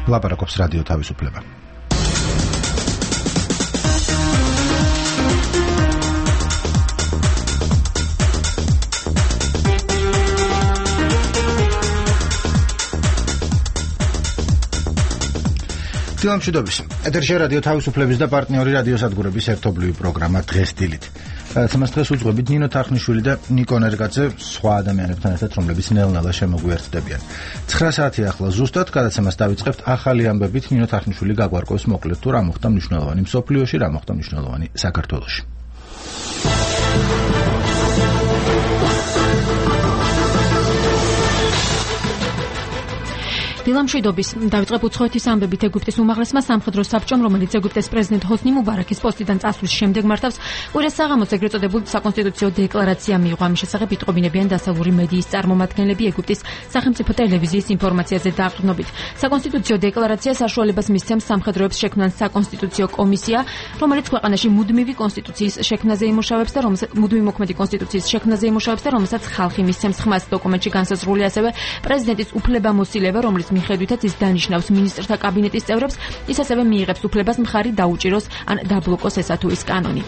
ლაპარაკობს რადიო თავისუფლება. დილამშვიდობის. ეთერში რადიო თავისუფლების და პარტნიორი რადიოსადგურების ერთობლივი პროგრამა დღეს დილით. Სადაც დღეს უძღვებით ნინო თახნიშვილი და ნიკო ნერგაძე სხვა ადამიანებთან ერთად, რომლებიც ნელ-ნელა შემოგვიერთდებიან. 9 საათი ახლა ზუსტად გადაცემას დავიწყებთ ახალი ამბებით ნინო თახნიშვილი გაგვარკვევს მოკლედ თუ რა მოხდა მნიშვნელოვანი მსოფლიოში, რა მოხდა მნიშვნელოვანი საქართველოში. დილამშვიდობის. დავიწყებ უცხოეთის ამბებით. ეგვიპტის უმაღლესმა სამხედრო საბჭომ, რომელიც ეგვიპტეს პრეზიდენტ ჰოსნი მუბარაკის პოსტიდან წასვლის შემდეგ მართავს, კვირას საღამოს ეგრეთ წოდებულ საკონსტიტუციო დეკლარაცია მიიღო. ამის შესახებ იტყობინებიან დასავლური მედიის წარმომადგენლები ეგვიპტის სახელმწიფო ტელევიზიის ინფორმაციაზე დაყრდნობით. საკონსტიტუციო დეკლარაცია საშუალებას მისცემს სამხედროებს შექმნან საკონსტიტუციო კომისია, რომელიც ქვეყანაში მუდმივი კონსტიტუციის შექმნაზე იმუშავებს და მუდმივი მოქმედი კონსტიტუციის შექმნაზე იმუშავებს და რომელსაც ხალხი მისცემს ხმას. დოკუმენტში განსაზღვრულია ასევე პრეზიდენტის უფლებამოსილება, რომელიც მიხედვითაც ის დანიშნავს მინისტრთა კაბინეტის წევრებს, ის ასევე მიიღებს უფლებას მხარი დაუჭიროს ან დაბლოკოს ესა თუ ის კანონი.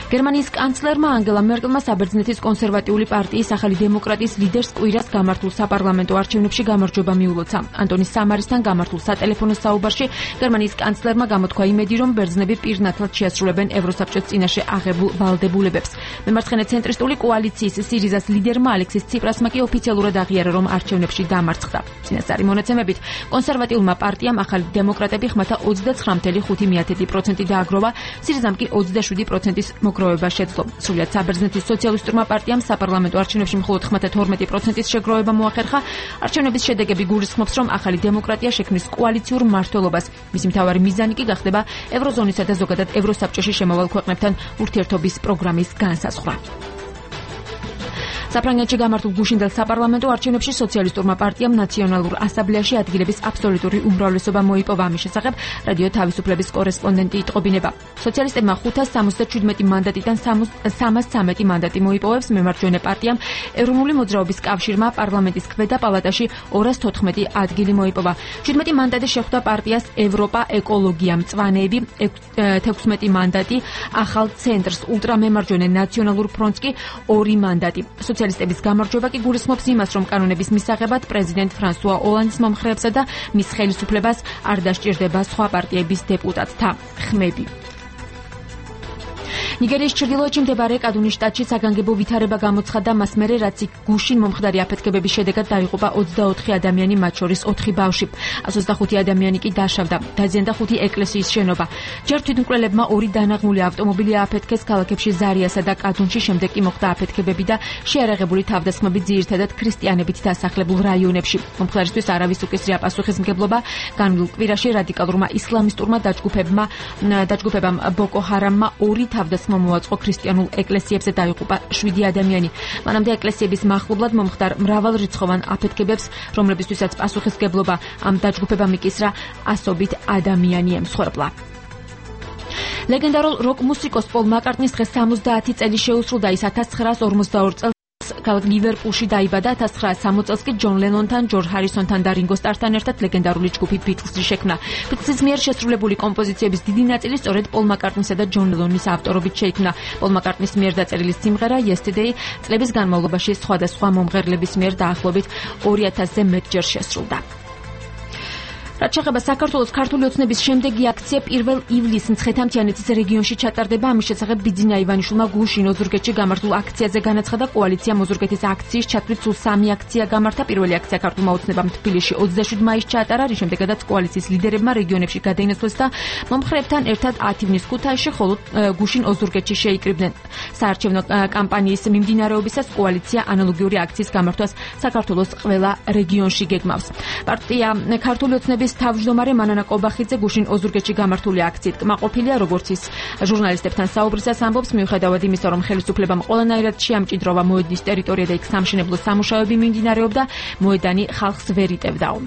გერმანიის კანცლერმა ანგელა მერკელმა საბერძნეთის კონსერვატიული პარტიის ახალი დემოკრატიის ლიდერს კვირას გამართულ საპარლამენტო არჩევნებში გამარჯვება მიულოცა. ანტონი სამარისთან გამართულ სატელეფონო საუბარში გერმანიის კანცლერმა გამოთქვა იმედი, რომ ბერძნები პირნათლად შეასრულებენ ევროსაბჭოს წინაშე აღებულ ვალდებულებებს. მემარცხენე ცენტრისტული კოალიციის სირიზას ლიდერმა ალექსის ციპრასმა კი ოფიციალურად აღიარა, რომ არჩევნებში დამარცხდა. წინასწარი მონაცემებით, კონსერვატიულმა პარტიამ ახალი დემოკრატები ხმათა 29.5% დააგროვა, სირიზამ კი 27%-ის მოგროვება შეძლო. სრულად საბერძნეთის სოციალისტურმა პარტიამ საპარლამენტო არჩევნებში მხოლოდ ხმათა 12%-ის შეგროვება მოახერხა. არჩევნების შედეგები გულისხმობს, რომ ახალი დემოკრატია შექმნის კოალიციურ მმართველობას. მისი მთავარი მიზანი კი გახდება ევროზონისა და ზოგადად ევროსაბჭოში შემავალ ქვეყნებთან ურთიერთობის პროგრამის განსაზღვრა. საფრანგეთში გამართულ გუშინდელ საპარლამენტო არჩევნებში სოციალისტურმა პარტიამ ნაციონალურ ასამბლეაში ადგილების აბსოლუტური უმრავლესობა მოიპოვა. ამის შესახებ რადიო თავისუფლების კორესპონდენტი იტყობინება. სოციალისტებმა 577 მანდატიდან 313 მანდატი მოიპოვებს. მემარჯვენე პარტიამ ეროვნული მოძრაობის კავშირმა პარლამენტის ქვედა პალატაში 214 ადგილი მოიპოვა. 17 მანდატი შეხვდა პარტიას ევროპა ეკოლოგია მწვანეები, 16 მანდატი ახალ ცენტრს, ულტრამემარჯვენე ნაციონალურ ფრონტს კი 2 მანდატი. სოციალისტების გამარჯვება კი გულისხმობს იმას, რომ კანონების მისაღებად პრეზიდენტ ფრანსუა ოლანდის მომხრეებსა და მის ხელისუფლებას არ დასჭირდება სხვა პარტიების დეპუტატთა ხმები. ნიგერიის ჩრდილოეთში მდებარე კადუნის შტატში საგანგებო ვითარება გამოცხადდა მას მერე, რაც იქ გუშინ მომხდარი აფეთქებების შედეგად დაიღუპა 24 ადამიანი, მათ შორის 4 ბავშვი. 125 ადამიანი კი დაშავდა. დაზიანდა 5 ეკლესიის შენობა. ჯერ თვითმკვლელებმა 2 დანაღმული ავტომობილი ააფეთქეს ქალაქებში ზარიასა და კადუნში, შემდეგ კი მოხდა აფეთქებები და შეარაღებული თავდასხმები ძირითადად ქრისტიანებით დასახლებულ რაიონებში. მომხდარისთვის არავის უკისრია პასუხისმგებლობა. განვლილ კვირაში რადიკალურმა ისლამისტურმა დაჯგუფებამ ბოკო ჰარამმა 2 თავდასხმა მოაწყო ქრისტიანულ ეკლესიებზე, დაიღუპა 7 ადამიანი. მანამდე ეკლესიების მახლობლად მომხდარ მრავალრიცხოვან აფეთქებებს, რომლებისთვისაც პასუხისმგებლობა ამ დაჯგუფებამ იკისრა, ასობით ადამიანი ემსხვერპლა. ლეგენდარულ როკ მუსიკოს პოლ მაკარტნის დღეს 70 წელი შეუსრულდა. ის 1942 წელს ქალაქ ლივერპულში დაიბადა. 1960 წელს კი ჯონ ლენონთან, ჯორჯ ჰარისონთან და რინგო სტართან ერთად ლეგენდარული ჯგუფი ბიტლზი შექმნა. ბიტლზის მიერ შესრულებული კომპოზიციების დიდი ნაწილი სწორედ პოლ მაკარტნისა და ჯონ ლენონის ავტორობით შეიქმნა. პოლ მაკარტნის მიერ დაწერილი სიმღერა Yesterday წლების განმავლობაში სხვადასხვა მომღერლების მიერ დაახლოებით 2000-ზე მეტჯერ შესრულდა. რაც შეეხება საქართველოს ქართული ოცნების შემდეგი აქცია 1 ივლისს მცხეთა-მთიანეთის რეგიონში ჩატარდება. ამის შესახებ ბიძინა ივანიშვილმა გუშინ ოზურგეთში გამართულ აქციაზე განაცხადა. კოალიციამ ოზურგეთის აქციის ჩათვლით სულ 3 აქცია გამართა. პირველი აქცია ქართულმა ოცნებამ თბილისში 27 მაისს ჩაატარა, რის შემდეგაც კოალიციის ლიდერებმა რეგიონებში გადაინაცვლეს და მომხრეებთან ერთად 10 ივნის ქუთაისში, ხოლო გუშინ ოზურგეთში შეიკრიბნენ. საარჩევნო კამპანიის მიმდინარეობისას კოალიცია ანალოგიური აქციის გამართვას საქართველოს ყველა რეგიონში გეგმავს. პარტია ქართული ოცნების თავმჯდომარე მანანა კობახიძე გუშინ ოზურგეთში გამართული აქციით კმაყოფილია, როგორც ის ჟურნალისტებთან საუბრისას ამბობს, მიუხედავად იმისა, რომ ხელისუფლებამ ყველანაირად შეამჭიდროვა მოედნის ტერიტორია და იქ სამშენებლო სამუშაოები მიმდინარეობდა, მოედანი ხალხს ვერ იტევდაო.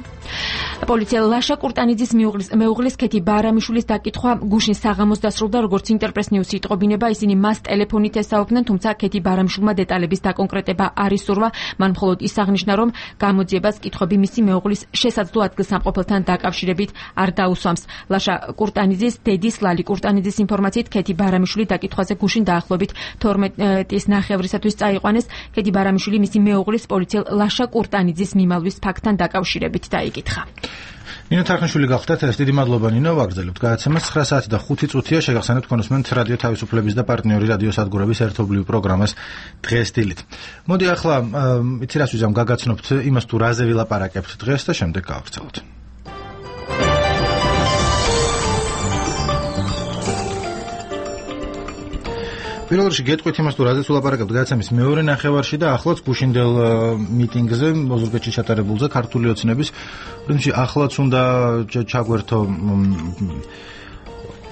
პოლიცია ლაშა კურტანიძის მეუღლის ქეთი ბარამიშვილის დაკითხვა გუშინ საღამოს დასრულდა, როგორც ინტერპრეს ნიუსი იტყობინება, ისინი მას ტელეფონით ესაუბრნენ, თუმცა ქეთი ბარამიშვილმა დეტალების დაკონკრეტება არ ისურვა. მან მხოლოდ ის აღნიშნა, რომ გამოძიებას კითხვები მისი მეუღლის შესაძლო ადგილსამყოფელთან დაკავშირებით არ დაუსვამს. ლაშა კურტანიძის დედის ლალი კურტანიძის ინფორმაციით ქეთი ბარამიშვილი დაკითხვაზე გუშინ დაახლოებით 12-ის ნახევრისათვის წაიყვანეს. ქეთი ბარამიშვილი მისი მეუღლის პოლიციელ ლაშა კურტანიძის მიმალვის ფაქტთან დაკავშირებით დაიკითხა. ნინო თარხნიშვილი გახდათ ეს. დიდი მადლობა ნინო, ვაგრძელებთ გადაცემას. 9 საათი და 5 წუთია შეგახსენებთ კონსუმენტ რადიო თავისუფლების და პარტნიორი რადიო სადგურების ერთობლივ პროგრამას დღეს დილით. მოდი ახლა იცი რას ვიზამ გაგაცნობთ იმას თუ რაზე ვილაპარაკებთ დღეს და შემდეგ გავაგრძელოთ. პირველ რიგში გეტყვით იმას თუ რაზეც ვილაპარაკებთ გადაცემის მეორე ნახევარში და ახლაც გუშინდელ მიტინგზე ოზურგეთში ჩატარებულზე ქართული ოცნების პრინციპი ახლაც უნდა ჩაგვერთო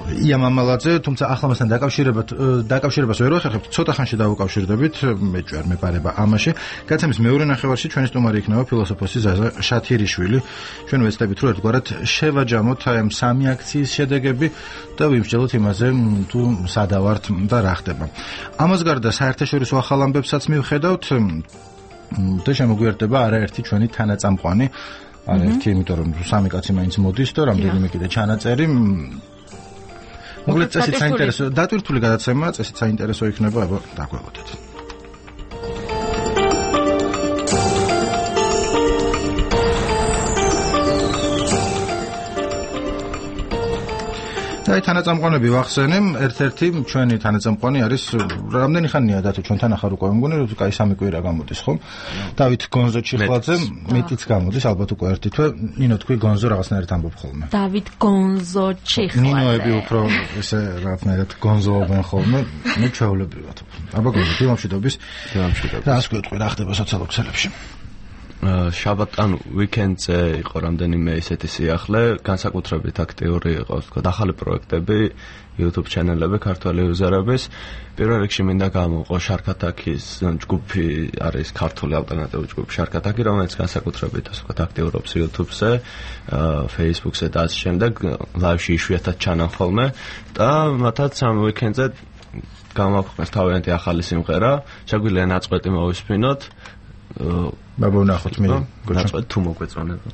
იამამალაძე, თუმცა ახლა მასთან დაკავშირებას ვერ ვახერხებთ, ცოტა ხანში დავუკავშირდებით, მე ჯერ მეპარება ამაში. გადაცემის მეორე ნახევარში ჩვენი სტუმარი იქნება ფილოსოფოსი ზაზა შათირიშვილი. ჩვენ ვეცდებით რომ ერთგვარად შევაჯამოთ აი ამ სამი აქციის შედეგები და ვიმსჯელოთ იმაზე, თუ სადავართ და რა ხდება. ამას გარდა საერთაშორისო ახალ ამბებსაც მივხედავთ და შემოგვიერთდება არაერთი ჩვენი თანაწამყვანი, არაერთი, იმიტომ რომ სამი კაცი მაინც მოდის და რამდენიმე კიდე ჩანაწერი. მოკლედ წესით საინტერესო დატვირთული გადაცემა, წესით საინტერესო იქნება, აბა დაგვეღოთ. და თანაწამყვანები ვახსენე, ერთ-ერთი ჩვენი თანაწამყვანი არის რამდენი ხანია დათო ჩვენთან ახარ უკვე მგონი რომ კაი სამი კვირა გამოდის ხო? დავით გონზო ჩიხლაძე მეტიც გამოდის ალბათ უკვე ერთი თვე. ნინო თქვი გონზო რაღაცნაირად ამბობ ხოლმე. დავით გონზო ჩიხლაძე. ნინოები უფრო ესე რაღაცნაირად გონზოობენ ხოლმე, მე ჩვეულებრივად. აბა გონზო ფილმშიდობის. და ასე ვიტყვი რა ხდება სოციალურ ქსელებში. შაბათ ანუ ვიკენდზე იყო რამდენიმე ისეთი სიახლე, განსაკუთრებით აქტიური იყო თქო ახალი პროექტები, YouTube ჩანელები ქართველი იუზერების. პირველ რიგში მინდა გამოვყო შარქათაკის ჯგუფი, არის ქართული ალტერნატიული ჯგუფი შარქათაკი, რომელიც განსაკუთრებით ასე ვთქვათ აქტიურობს YouTube-ზე, Facebook-ზე და ასე შემდეგ, ლაივში იშვიათად ჩანან ხოლმე და მათაც ამ ვიკენდზე გამოვაქვეყნეს თავიანთი ახალი სიმღერა, შეგვიძლია ნაწყვეტი მოვისმინოთ. ბაბა ვნახოთ მე გოჩა თუ მოგვეწონება.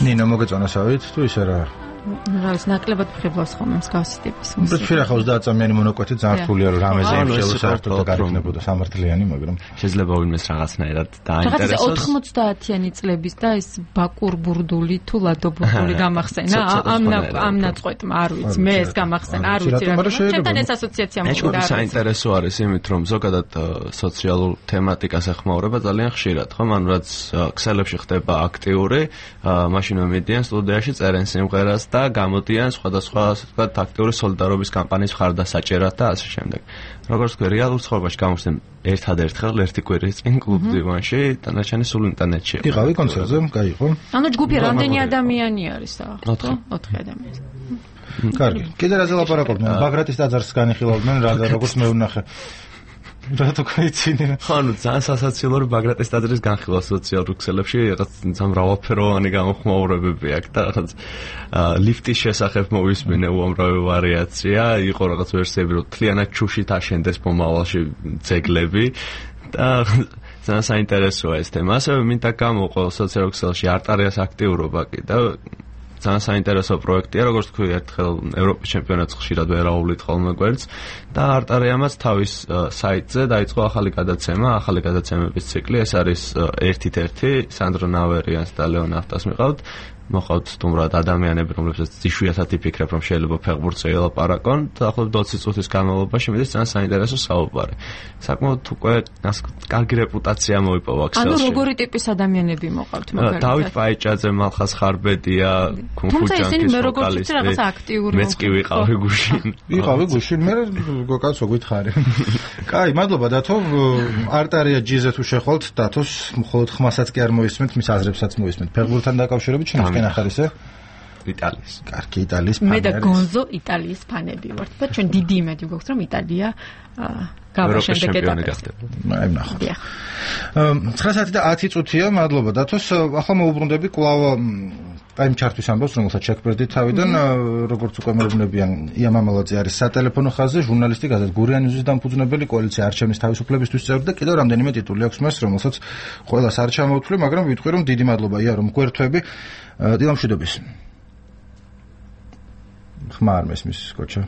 ნინო მოგეწონასავით თუ ისე რა? რა ის ნაკლებად ფხიბლავს ხოლმე მსგავსი ტიპის მუსიკა. შეიძლება ხავს დააწამიანი მონოკვეთი ძალიან რთულია რომ რამეზე იმშელო საერთოდ და გარიგნებოდა სამართლიანი, მაგრამ შეიძლება ვინმეს რაღაცნაირად დაინტერესოს. 90-იანი წლების და ეს ბაკურ ბურდული თუ ლადო ბურდული გამახსენა ამ ნაწყვეტმა არ ვიცი, მე ეს გამახსენა, არ ვიცი რა. ჩემთან ეს ასოციაცია მოხდა. ეს საინტერესო არის იმით რომ ზოგადად სოციალურ თემატიკას ეხმაურება ძალიან ხშირად, ხო? მან რაც ქსელებში ხდება აქტიური, მაშინ მედიან სტუდიაში წერენ სიმღერას და გამოდიან სხვადასხვა ასე ვთქვათ აქტიური სოლიდარობის კამპანიის მხარდასაჭერად და ასე შემდეგ. როგორც თქვი, რეალურ ცხოვრებაში გამოსცემ ერთადერთხელ ერთი კვირის წინ კლუბ დივანში, დანარჩენი სულ ინტერნეტში. იყავი კონცერტზე, კაი ხო? ანუ ჯგუფი რამდენი ადამიანი არის და? 4 ადამიანი. კარგი. კიდე რაზე ლაპარაკობდნენ? ბაგრატის ტაძარს განიხილავდნენ რა და როგორც მე ვნახე. რატო კაიცინე? ხანუ ძალიან სასაცილო რომ ბაგრატის ტაძრის განხილვა სოციალურ ქსელებში რაღაც მრავალფეროვანი გამოხმაურებები აქვს და რაღაც ლიფტის შესახებ მოვისმინე უამრავი ვარიაცია, იყო რაღაც ვერსიები რომ თლიანად ჩუშით აშენდეს მომავალში ძეგლები და ძალიან საინტერესოა ეს თემა. ასევე მინდა გამოვყო სოციალურ ქსელში არტარიას აქტიურობა კი და ძალიან საინტერესო პროექტია, როგორც თქვი, ერთხელ ევროპის ჩემპიონატს ხშირად ვერაუვლით ხოლმე გვერდს და არტარიამაც თავის საიტზე დაიწყო ახალი გადაცემების ციკლი. ეს არის ერთ-ერთი სანდრო ნავერიანს და ლეონ ახტას მიყავთ. მოყავთ სტუმრად ადამიანები, რომლებსაც იშვიათად იფიქრებ, რომ შეიძლება ფეხბურთზე ელაპარაკონ და ახლობლად 20 წუთის განმავლობაში მიდის ძალიან საინტერესო საუბარი. საკმაოდ უკვე კარგი რეპუტაცია მოიპოვა ქსელში. ანუ როგორი ტიპის ადამიანები მოყავთ მაგალითად? დავით პაიჭაძე, მალხას ხარბედია, კუნფუჯანკის ვოკალისტი. მეც კი ვიყავი გუშინ. მე გოკაც ვგითხარი. კაი, მადლობა დათო. არტარია ჯიზე თუ შეხვალთ დათოს მხოლოდ ხმასაც კი არ მოისმენთ, მის აზრებსაც მოისმენთ. ფეხბურთთან დაკავშირებით ჩვენ ახარისე? იტალიის. კარგი, იტალიის ფანი. მე და გონზო იტალიის ფანები ვართ და ჩვენ დიდი იმედი გვაქვს რომ იტალია გავა შემდეგ ეტაპზე. აი ნახოთ. 9 საათი და 10 წუთია, მადლობა დათოს. ახლა მოუბრუნდები კვლავ ტაიმ ჩარტის ამბავს, რომელსაც შეგვერდი თავიდან, როგორც უკვე მეუბნებიან, ია მამალაძე არის სატელეფონო ხაზზე, ჟურნალისტი, გაზეთ გურიანის დამფუძნებელი, კოალიცია არჩევნის თავისუფლებისთვის წევრი და კიდევ რამდენიმე ტიტული აქვს მას, რომელსაც ყველას არ ჩამოვთვლი, მაგრამ ვიტყვი რომ დიდი მადლობა ია რომ გვერდთვები. დილამშვიდობის. ხმა არ მესმის კოჩა.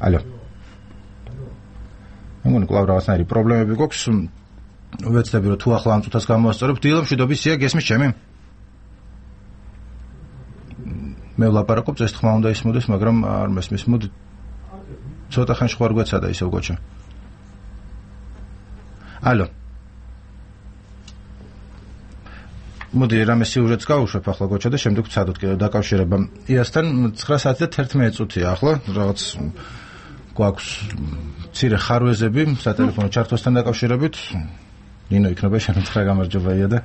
ალო. მეგონი კვლავ რაღაცნაირი პრობლემები გვაქვს. ვეცდები რომ თუ ახლა ამ წუთას გამოვასწორებ. დილამშვიდობის ია გესმის ჩემი? მე ვლაპარაკობ, ეს ხმა უნდა ისმოდეს, მაგრამ არ მესმის. მოდი ცოტა ხანში ხوار გვეცადა ისევ კოჩა. ალო. მოდი რამე სიუჟეტს გავუშვებ ახლა კოჩა და შემდეგ ვცადოთ კიდევ დაკავშირება იასთან. 9 საათი და 11 წუთია ახლა რაღაც გვაქვს მცირე ხარვეზები სატელეფონო ჩართვასთან დაკავშირებით. ნინო იქნება შენთხრა გამარჯობა ია და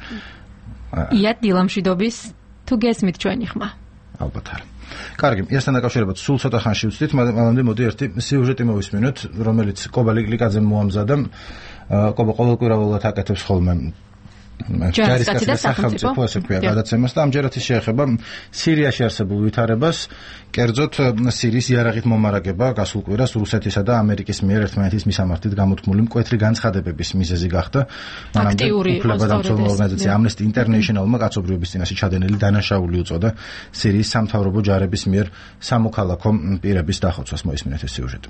ია დილამშვიდობის თუ გესმით ჩვენი ხმა. ალბათ არა. კარგი, იასთან დაკავშირებით სულ ცოტა ხანში ვცდით, მანამდე მოდი ერთი სიუჟეტი მოვისმინოთ, რომელიც კობა ლიკლიკაძემ მოამზადა. კობა ყოველკვირეულად აკეთებს ხოლმე ჯარისკაცი და სახელმწიფო ასე ქვია გადაცემას და ამჯერად ის შეეხება სირიაში არსებულ ვითარებას, კერძოდ სირიის იარაღით მომარაგება გასულ კვირას რუსეთისა და ამერიკის მიერ ერთმანეთის მისამართით გამოთქმული მკვეთრი განცხადებების მიზეზი გახდა. მანამდე უფლებადამცველო ორგანიზაცია Amnesty International-მა კაცობრიობის წინაშე ჩადენილი დანაშაული უწოდა სირიის სამთავრობო ჯარების მიერ სამოქალაქო პირების დახოცვას. მოისმინეთ ეს სიუჟეტი.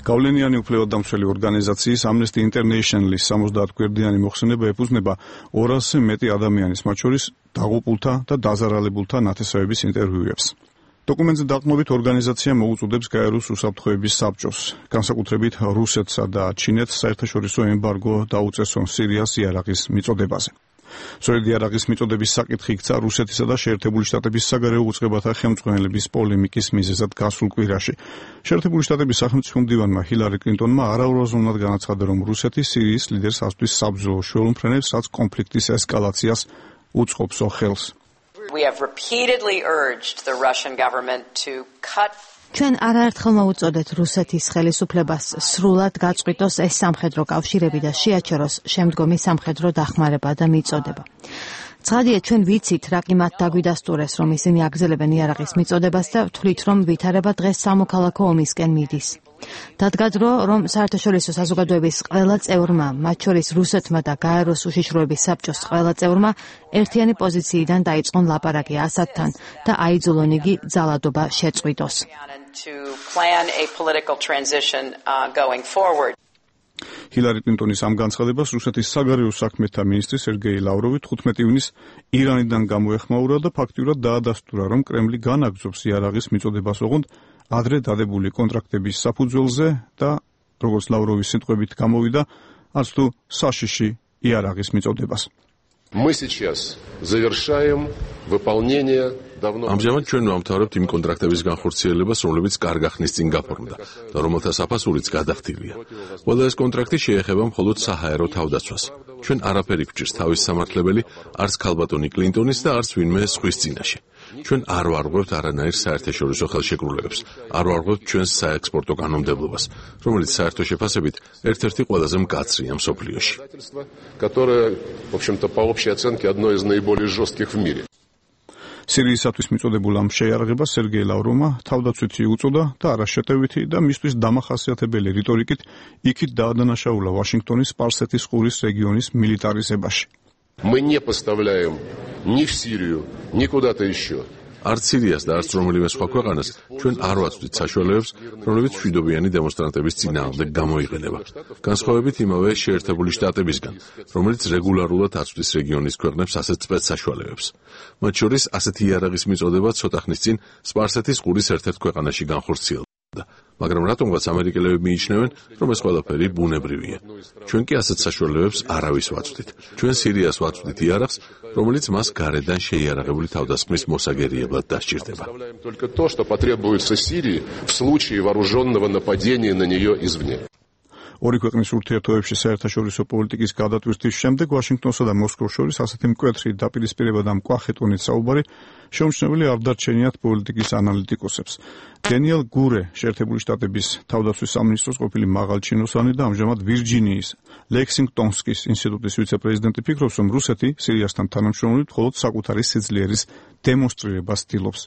გავლენიანი უფლებადამცველი ორგანიზაციის Amnesty International-ის 70 გვერდიანი მოხსენება ეფუძნება 200-ზე მეტი ადამიანის, მათ შორის დაღუპულთა და დაზარალებულთა ნათესავების ინტერვიუებს. დოკუმენტზე დაყრდნობით ორგანიზაცია მოუწოდებს გაეროს უსაფრთხოების საბჭოს, განსაკუთრებით რუსეთსა და ჩინეთს საერთაშორისო ემბარგო დაუწესონ სირიას იარაღის მიწოდებაზე. სწორედ იარაღის მიწოდების საკითხი იქცა რუსეთისა და შეერთებული შტატების საგარეო უწყებათა ხელმძღვანელების პოლემიკის მიზეზად გასულ კვირაში. შეერთებული შტატების სახელმწიფო მდივანმა ჰილარი კლინტონმა არაურაზრუნად განაცხადა, რომ რუსეთი სირიის ლიდერს ასვლის საბრძოლო შუალმფრენებს, რაც კონფლიქტის ესკალაციას უწყობს ხელს. We have repeatedly urged the Russian government to cut ჩვენ არაერთხელ მოუწოდეთ რუსეთის ხელისუფლებას სრულად გაწყვიტოს ეს სამხედრო კავშირები და შეაჩეროს შემდგომი სამხედრო დახმარება და მიწოდება. ცხადია, ჩვენ ვიცით, რა კი მათ დაგვიდასტურეს, რომ ისინი აგრძელებენ იარაღის მიწოდებას და ვთვლით, რომ ვითარება დღეს სამოქალაქო ომისკენ მიდის. დადგა დრო, რომ საერთაშორისო საზოგადოების ყველა წევრმა, მათ შორის რუსეთმა და გაეროს უშიშროების საბჭოს ყველა წევრმა ერთიანი პოზიციიდან დაიწყონ ლაპარაკი ასადთან და აიძულონ იგი ძალადობა შეწყვიტოს. ჰილარი კლინტონის ამ განცხადებას რუსეთის საგარეო საქმეთა მინისტრი სერგეი ლავროვი 15 ივნისს ირანიდან გამოეხმაურა და ფაქტიურად დაადასტურა, რომ კრემლი განაგრძობს იარაღის მიწოდებას ოღონდ ადრე დადებული კონტრაქტების საფუძველზე და როგორც ლავროვის სიტყვებით გამოვიდა, არც თუ საშიში იარაღის მიწოდებას. Мы сейчас завершаем выполнение ამჟამად ჩვენ ვამთავრებთ იმ კონტრაქტების განხორციელებას, რომლებიც კარგ ახნის წინ გაფორმდა და რომელთა საფასურიც გადახდილია. ყველა ეს კონტრაქტი შეეხება მხოლოდ საჰაერო თავდაცვას. ჩვენ არაფერი გვჭირს თავის სამართლებელი, არც ქალბატონი კლინტონის და არც ვინმე სხვის წინაშე. ჩვენ არ ვარღვევთ არანაირ საერთაშორისო ხელშეკრულებებს, არ ვარღვევთ ჩვენს საექსპორტო კანონმდებლობას, რომელიც საერთო შეფასებით ერთ-ერთი ყველაზე მკაცრია მსოფლიოში. которое, в общем-то, по общей оценке одно из наиболее жестких в мире. სირიისათვის მიწოდებულ ამ შეიარაღებას სერგეი ლავროვმა თავდაცვითი უწოდა და არაშეტევითი და მისთვის დამახასიათებელი რიტორიკით იქით დაადანაშაულა ვაშინგტონის სპარსეთის ყურის რეგიონის მილიტარიზებაში. Мы не поставляем ни в Сирию, ни куда-то еще. არც სირიას და არც რომელიმე სხვა ქვეყანას ჩვენ არ ვაწვდით საშუალებებს, რომლებიც მშვიდობიანი დემონსტრანტების წინააღმდეგ გამოიყენება. განსხვავებით იმავე შეერთებული შტატებისგან, რომელიც რეგულარულად აწვდის რეგიონის ქვეყნებს ასეთ სპეცსაშუალებებს. მათ შორის ასეთი იარაღის მიწოდება ცოტა ხნის წინ სპარსეთის ყურის ერთ-ერთ ქვეყანაში განხორციელდა. მაგრამ რატომღაც ამერიკელები მიიჩნევენ, რომ ეს ყველაფერი ბუნებრივია. ჩვენ კი ასეთ საშუალებებს არავის ვაწვდით. ჩვენ სირიას ვაწვდით იარაღს, რომელიც მას გარედან შეიარაღებული თავდასხმის მოსაგერიებლად დასჭირდება. Только то, что потребуется Сирии в случае вооруженного нападения на нее извне. ორი ქვეყნის ურთიერთობებში საერთაშორისო პოლიტიკის გადატვირთვის შემდეგ ვაშინგტონსა და მოსკოვს შორის ასეთი მკვეთრი დაპირისპირება და მკვახე ტონით საუბარი შეუმჩნეველი არ დარჩენიათ პოლიტიკის ანალიტიკოსებს. დენიელ გურე, შეერთებული შტატების თავდაცვის სამინისტროს ყოფილი მაღალჩინოსანი და ამჟამად ვირჯინიის ლექსინგტონსკის ინსტიტუტის ვიცე-პრეზიდენტი ფიქრობს, რომ რუსეთი სირიასთან თანამშრომლობით მხოლოდ საკუთარი სიძლიერის დემონსტრირებას ცდილობს.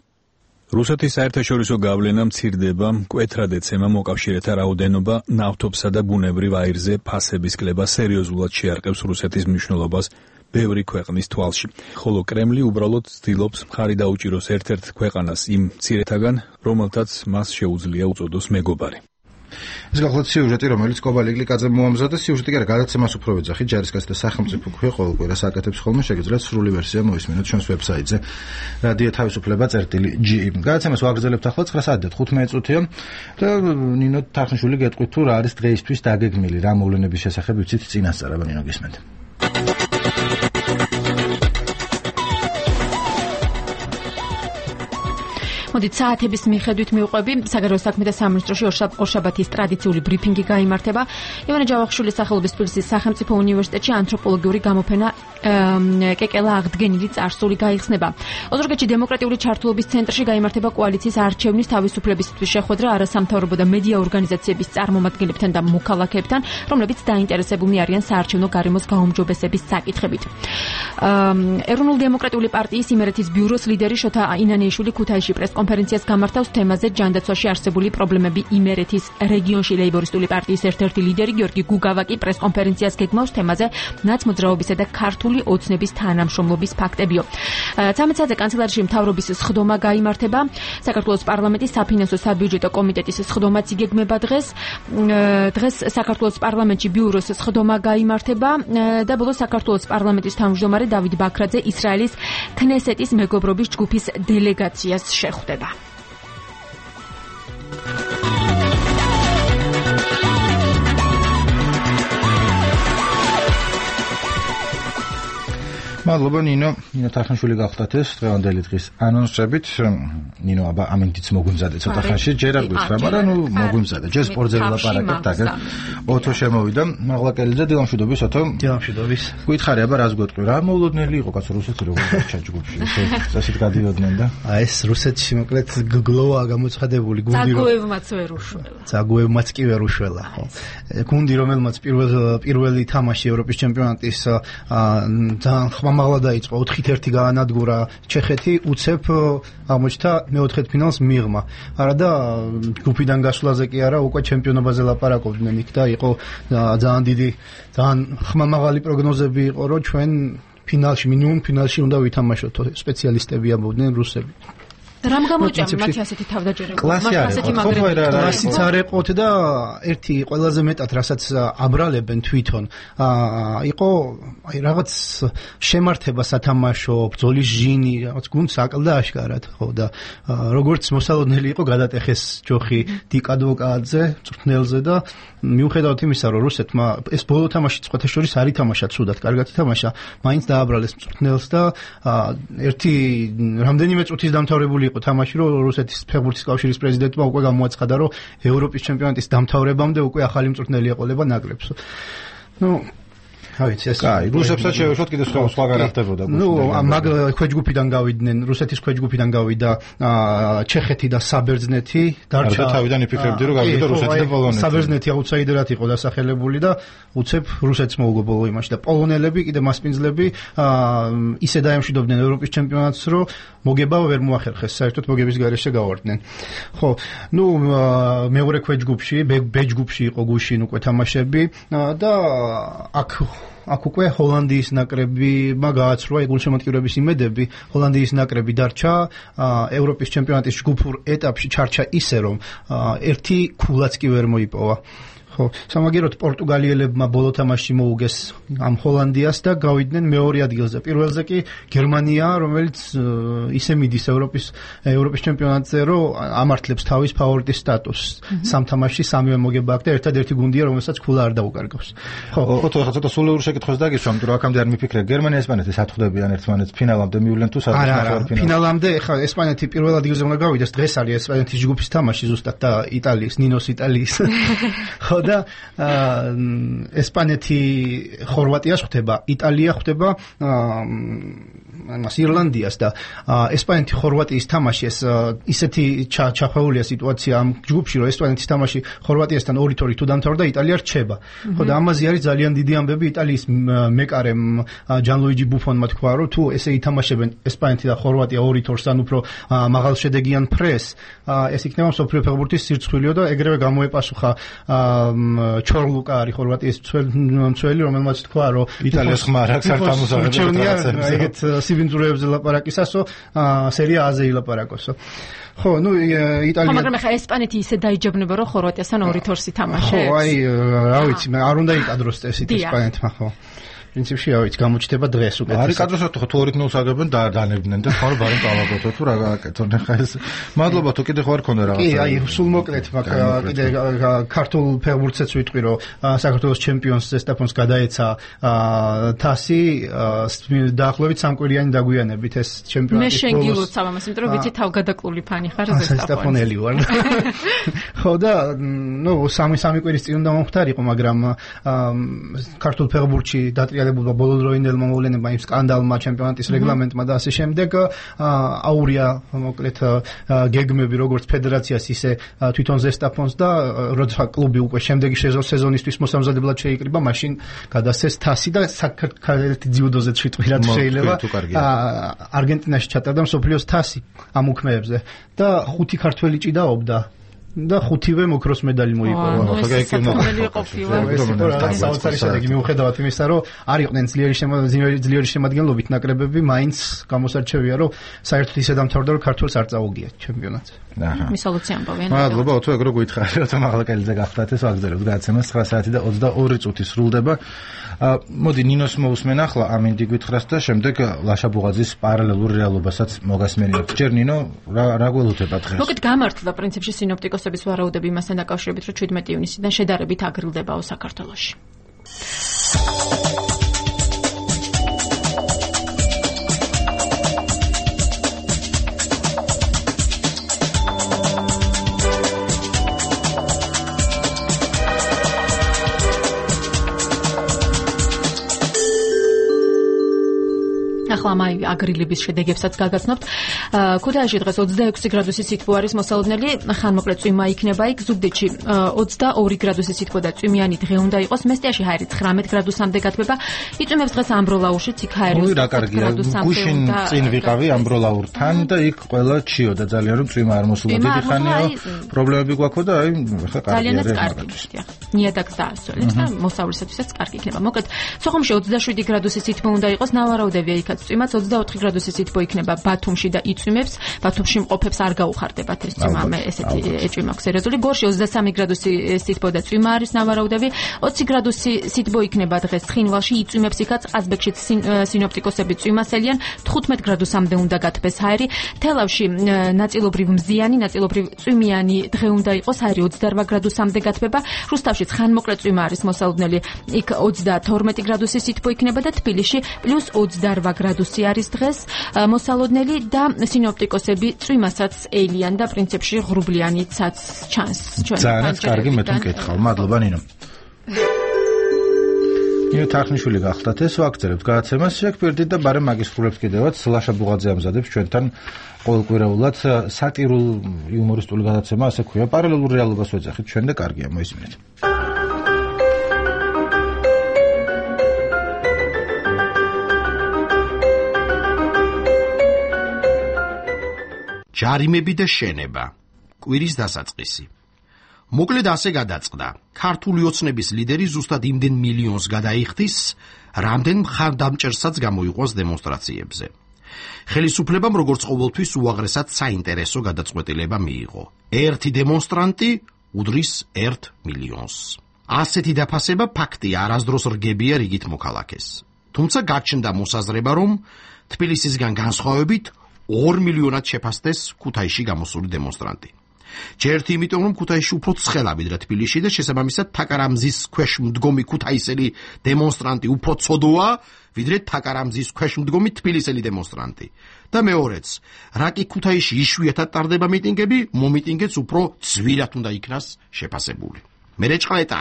რუსეთის საერთაშორისო გავლენა მცირდება, მკვეთრად ეცემა მოკავშირეთა რაოდენობა, ნავთობსა და ბუნებრივ აირზე ფასების კლება სერიოზულად შეარყევს რუსეთის მნიშვნელობას ბევრი ქვეყნის თვალში. ხოლო კრემლი უბრალოდ ცდილობს მხარი დაუჭიროს ერთ-ერთ ქვეყანას იმ მცირეთაგან, რომელთაც მას შეუძლია უწოდოს მეგობარი. ეს გახლავთ სიუჟეტი, რომელიც კობალი გლიკაძემ მოამზადა. სიუჟეტი კი არა, გადაცემას უფრო ვეძახით, ჯარისკაცთა სახელმწიფო ქვია ყოველ კვირას აკეთებს ხოლმე, შეგიძლიათ სრული ვერსია მოისმინოთ ჩვენს ვებსაიტზე რადიო თავისუფლება.ge. გადაცემას ვაგრძელებთ ახლა 9 საათი და 15 წუთია და ნინო თახნიშვილი გეტყვით თუ რა არის დღეისთვის დაგეგმილი, რა მოვლენების შესახებ ვიცით წინასწარ, აბა ნინო გისმენთ. მოდით საათების მიხედვით მივყვები საგარეო საქმეთა სამინისტროში ორშაბათის ტრადიციული ბრიფინგი გაიმართება. ივანე ჯავახიშვილის სახელობის თბილისის სახელმწიფო უნივერსიტეტში ანთროპოლოგიური გამოფენა კეკელა აღდგენილი წარსული გაიხსნება. ოზურგეთში დემოკრატიული ჩართულობის ცენტრში გაიმართება კოალიციის არჩევნის თავისუფლებისთვის შეხვედრა არასამთავრობო და მედია ორგანიზაციების წარმომადგენლებთან და მოქალაქეებთან, რომლებიც დაინტერესებულნი არიან საარჩევნო გარემოს გაუმჯობესების საკითხებით. ეროვნულ დემოკრატიული პარტიის იმერეთის ბიუროს ლიდერი შოთა ინანიაშვილი ქუთაისში პრესკონფერენციას გამართავს თემაზე ჯანდაცვაში არსებული პრობლემები იმერეთის რეგიონში. ლეიბორისტული პარტიის ერთ-ერთი ლიდერი გიორგი გუგავაკი პრესკონფერენციას გეგმავს თემაზე ნაცმოძრაობისა და ქართული ოცნების თანამშრომლობის ფაქტებიო. 13 საათზე კანცელარიაში მთავრობის სხდომა გაიმართება. საქართველოს პარლამენტის საფინანსო საბიუჯეტო კომიტეტის სხდომაც იგეგმება დღეს. დღეს საქართველოს პარლამენტში ბიუროს სხდომა გაიმართება და ბოლოს საქართველოს პარლამენტის თავმჯდომარე დავით ბაქრაძე ისრაელის ქნესეტის მეგობრობის ჯგუფის დელეგაციას შეხვდება. მადლობა ნინო თახნიშვილი გახდათ ეს დღევანდელი დღის ანონსებით. ნინო აბა ამინდიც მოგვიმზადე ცოტა ხანში, ჯერ არ გვიცხრა, მაგრამ ნუ მოგვიმზადე. ჯერ სპორტზე ვილაპარაკებთ, აგერ ოთო შემოვიდა. მაღლაკელიძე დილამშვიდობის ოთო. დილამშვიდობის. გითხარი აბა რას გვეტყვი, რა მოულოდნელი იყო კაცო რუსეთში როგორ ჩა ჯგუფში, წესით გადიოდნენ და ეს რუსეთში მოკლედ გლოვა გამოცხადებული გუნდი ზაგოევმაც ვერ უშველა. ზაგოევმაც კი ვერ უშველა, ხო. გუნდი რომელმაც პირველი თამაში ევროპის ჩემპიონატის ძალიან მაღლა დაიწყო 4-1 გაანადგურა ჩეხეთი, უცებ აღმოჩნდა მეოთხედფინალს მიღმა. არა და ჯგუფიდან გასვლაზე კი არა, უკვე ჩემპიონობაზე ლაპარაკობდნენ იქ და იყო ძალიან დიდი, ძალიან ხმამაღალი პროგნოზები იყო, რომ ჩვენ ფინალში, მინიმუმ ფინალში უნდა ვითამაშოთ, სპეციალისტები ამბობდნენ რუსები. რამ გამოჭამ მათი ასეთი თავდაჯერება? კლასიც არ ეყოთ და ერთი ყველაზე მეტად რასაც აბრალებენ თვითონ იყო აი რაღაც შემართება სათამაშო, ბრძოლის ჟინი, რაღაც გუნდს აკლდა აშკარად, ხო და როგორც მოსალოდნელი იყო გადატეხეს ჯოხი დიკადვოკაძე მწვრთნელზე და მიუხედავად იმისა, რომ რუსეთმა ეს ბოლო თამაში წყვეთა შორის არ ითამაშა ცუდად, კარგად ითამაშა, მაინც დააბრალეს მწვრთნელს და ერთი რამდენიმე წუთის დამთავრებული იყო თამაში, რომ რუსეთის ფეხბურთის კავშირის პრეზიდენტმა უკვე გამოაცხადა, რომ ევროპის ჩემპიონატის დამთავრებამდე უკვე ახალი მწვრთნელი ეყოლება ნაკრებს. ნუ ავიც ეს კაი, რუსებსაც შევეშოთ კიდე სხვაგან ხდებოდა. ნუ მაგ ქვეჯგუფიდან გავიდნენ, რუსეთის ქვეჯგუფიდან გავიდა ჩეხეთი და საბერძნეთი, დარჩა თავიდან იფიქრებდი, რომ გავიდა რუსეთი და პოლონეთი. საბერძნეთი აუტსაიდერად იყო დასახელებული და უცებ რუსეთს მოუგო ბოლო იმაში და პოლონელები კიდე მასპინძლები ისე დაემშვიდობდნენ ევროპის ჩემპიონატს, რომ მოგება ვერ მოახერხეს, საერთოდ მოგების გარეშე გავარდნენ. ხო, ნუ მეორე ქვეჯგუფში, ბეჯგუფში იყო გუშინ უკვე თამაშები და აქ უკვე ჰოლანდიის ნაკრებმა გააცრუა გულშემატკივრების იმედები. ჰოლანდიის ნაკრები დარჩა ევროპის ჩემპიონატის ჯგუფურ ეტაპში, ჩარჩა ისე რომ ერთი ქულაც კი ვერ მოიპოვა. ხო, სამაგიეროდ პორტუგალიელებმა ბოლო თამაში მოუგეს ამ ჰოლანდიას და გავიდნენ მეორე ადგილზე. პირველზე კი გერმანია, რომელიც ისე მიდის ევროპის ჩემპიონატზე, რომ ამართლებს თავის ფავორიტის სტატუსს. სამ თამაშში სამივე მოგება აქვს და ერთადერთი გუნდია, რომელსაც ქულა არ დაუკარგავს. ხო, ხა ცოტა სულიურ შეკითხვას დაგისვა, იმიტომ რომ აქამდე არ მიფიქრე, გერმანია ესპანეთი სათხდებიან ერთმანეთს ფინალამდე მივლენ თუ სადღაც ნახევარფინალში. ფინალამდე ხა ესპანეთი პირველ ადგილზე უნდა გავიდეს, დღეს არის ესპანეთის ჯგუფის თამაში ზუსტად და იტალიის, ნინოს იტალიის. ხო და ესპანეთი ხორვატიას ხვდება, იტალია ხვდება ირლანდიას და ესპანეთი ხორვატიის თამაშის ისეთი ჩახვეულია სიტუაცია ამ ჯგუფში, რომ ესპანეთის თამაში ხორვატიასთან 2-2 თუ დამთავრდა, იტალია რჩება. ხო და ამაზე არის ძალიან დიდი ამბები იტალიის მეკარემ ჯანლუიჯი ბუფონმა თქვა, რომ თუ ესე ითამაშებენ ესპანეთი და ხორვატია 2-2-ს ან უფრო მაღალ შედეგიან ფრეს, ეს იქნება მსოფლიო ფეხბურთის სირცხვილიო და ეგრევე გამოეპასუხა ჩორლუკა არის ხორვატიის მცველი, რომელმაც თქვა, რომ იტალიას ხმარ აქვს არ თამაშობენ ეგეთ სიბინძურეებზე ლაპარაკისასო სერია A-ზე ილაპარაკოსო. ხო, ნუ იტალია მაგრამ ახლა ესპანეთი ისე დაიჯებნება, რომ ხორვატიასთან 2-2-ს ითამაშებს. ხო, აი, რა ვიცი, არ უნდა იყადროს წესით ესპანეთმა, ხო. პრინციპში რა ვიცი, გამოჩნდება დღეს უკეთესად. არის კადროსად თუ 2-0 აგებენ და დანებდნენ და ხარ ბარემ წავაგოთო თუ რა გააკეთონ ახლა ეს. მადლობა თუ კიდე ხარ ქონდა რაღაცა. კი, აი, სულ მოკლედ მაგ კიდე ქართულ ფეხბურთსაც ვიტყვი, რომ საქართველოს ჩემპიონს ზესტაფონს გადაეცა თასი დაახლოებით 3 კვირიანი დაგვიანებით ეს ჩემპიონატი. მე შენ გილოცავ ამას, იმიტომ რომ ვიცი თავგადაკლული ფანი ხარ ზესტაფონელი ვარ. ხო და ნუ 3 კვირის წინ უნდა მომხდარიყო, მაგრამ ქართულ ფეხბურთში დატრიალებულმა ბოლოდროინდელმა მოვლენებმა, იმ სკანდალმა, ჩემპიონატის რეგლამენტმა და ასე შემდეგ აურია მოკლედ გეგმები როგორც ფედერაციას, ისე თვითონ ზესტაფონს და როცა კლუბი უკვე შემდეგი სეზონისთვის მოსამზადებლად შეიკრიბა, მაშინ გადასცეს თასი და საქართველოს ძიუდოზე თვითმფრინად შეიძლება არგენტინაში ჩატარდა მსოფლიოს თასი ამ უქმეებზე და 5 ქართველი ჭიდაობდა და 5-ვე მოქროს медаლი მოიპოვა. საოცარი შედეგი მიუხედავად იმისა, რომ არ იყვნენ ძლიერი შემადგენლობით ნაკრებები, მაინც გამოსარჩევია, რომ საერთოდ ისე დამთავრდა, რომ ქართველს არ წაუგია ჩემპიონატზე. მისალოცი ამბობენ. მადლობა, თუ ეგ რო გითხარით, რომ მაღალკელიძე გახდათ, ეს ვაგზავნებთ გადაცემას 9 საათი და 22 წუთი სრულდება. მოდი ნინოს მოусმენ ახლა ამ ინდიგვითხრას და შემდეგ ლაშა ბუღაძის პარალელურ რეალობასაც მოგასმენიებთ. ჯერ ნინო, რა გველოდება დღეს? მოგეთ გამართლა პრინციპში სინოპტიკოსების ვარაუდები მასთან დაკავშირებით, რომ 17 ივნისიდან შედარებით აგრილდებაო საქართველოში. ახლა მაი აგრილების შედეგებსაც გაგაცნობთ. ქუთაისში დღეს 26 გრადუსი სითბო არის მოსალოდნელი, ხანმოკლე წვიმა იქნება იქ. ზუგდიდში 22 გრადუსი სითბო და წვიმიანი დღე უნდა იყოს. მესტიაში ჰაერი 19 გრადუსამდე გათბება. იწვიმებს დღეს ამბროლაურშიც, იქ ჰაერი 20 გრადუსამდე. გუშინ წინ ვიყავი ამბროლაურთან და იქ ყველა ჩიო და ძალიან რომ წვიმა არ მოსულა დიდი ხანია. პრობლემები გვაქვს და აი ხა კარგია მაგალითად. ნიადაგს დაასწოლებს და მოსავლისათვისაც კარგი იქნება. მოკლედ, სოხუმში 27 გრადუსი სითბო უნდა იყოს, ნავარაუდევია იქაც წვიმაც 24 გრადუსი სითბო იქნება ბათუმში და იწვიმებს. ბათუმში მყოფებს არ გაუხარდებათ ეს წვიმა, მე ესეთი ეჭვი მაქვს სერიოზული. გორში 23 გრადუსი სითბო და წვიმა არის ნავარაუდები. 20 გრადუსი სითბო იქნება დღეს ცხინვალში, იწვიმებს იქაც ყაზბეგშიც სინოპტიკოსები წვიმას ელიან. 15 გრადუსამდე უნდა გათბეს ჰაერი. თელავში ნაწილობრივ მზიანი, ნაწილობრივ წვიმიანი დღე უნდა იყოს, ჰაერი 28 გრადუსამდე გათბება. რუსთავშიც ხანმოკლე წვიმა არის მოსალოდნელი, იქ 32 გრადუსი სითბო იქნება და თბილისში +28 გრადუსი არის დღეს მოსალოდნელი და სინოპტიკოსები წვიმასაც ელიან და პრინციპში ღრუბლიანიცაც ჩანს. ძალიან კარგი მე თვითონ კითხავ. მადლობა ნინო. ნინო თახნიშვილი გახდათ, ეს ვაგრძელებთ გადაცემას. შეგფერდით და ბარემ მაგის ხრულებს კიდევაც ლაშა ბუღაძე ამზადებს ჩვენთან ყოველკვირეულად სატირულ იუმორისტული გადაცემა, ასე ქვია. პარალელურ რეალობას ვეძახით ჩვენ და კარგია, მოისმინეთ. ჯარიმები და შენება. კვირის დასაწყისი. მოკლედ ასე გადაწყდა. ქართული ოცნების ლიდერი ზუსტად იმდენ მილიონს გადაიხდის, რამდენ მხარდამჭერსაც გამოიყვანს დემონსტრაციებზე. ხელისუფლებამ როგორც ყოველთვის უაღრესად საინტერესო გადაწყვეტილება მიიღო. ერთი დემონსტრანტი უდრის 1 მილიონს. ასეთი დაფასება ფაქტია, არასდროს რგებია რიგით მოქალაქეს. თუმცა გაჩნდა მოსაზრება, რომ თბილისისგან განსხვავებით 2 მილიონად შეფასდეს ქუთაისში გამოსული დემონსტრანტი. ჯერთ იმიტომ, რომ ქუთაისში უფრო ცხელა ვიდრე თბილისში და შესაბამისად თაკარამზის ქვეშ მდგომი ქუთაისელი დემონსტრანტი უფრო ცოდოა, ვიდრე თაკარამზის ქვეშ მდგომი თბილისელი დემონსტრანტი. და მეორეც, რა კი ქუთაისში იშვიათად ტარდება მიტინგები, მომიტინგეც უფრო ძვირად უნდა იქნას შეფასებული. მერეჭყლეტა.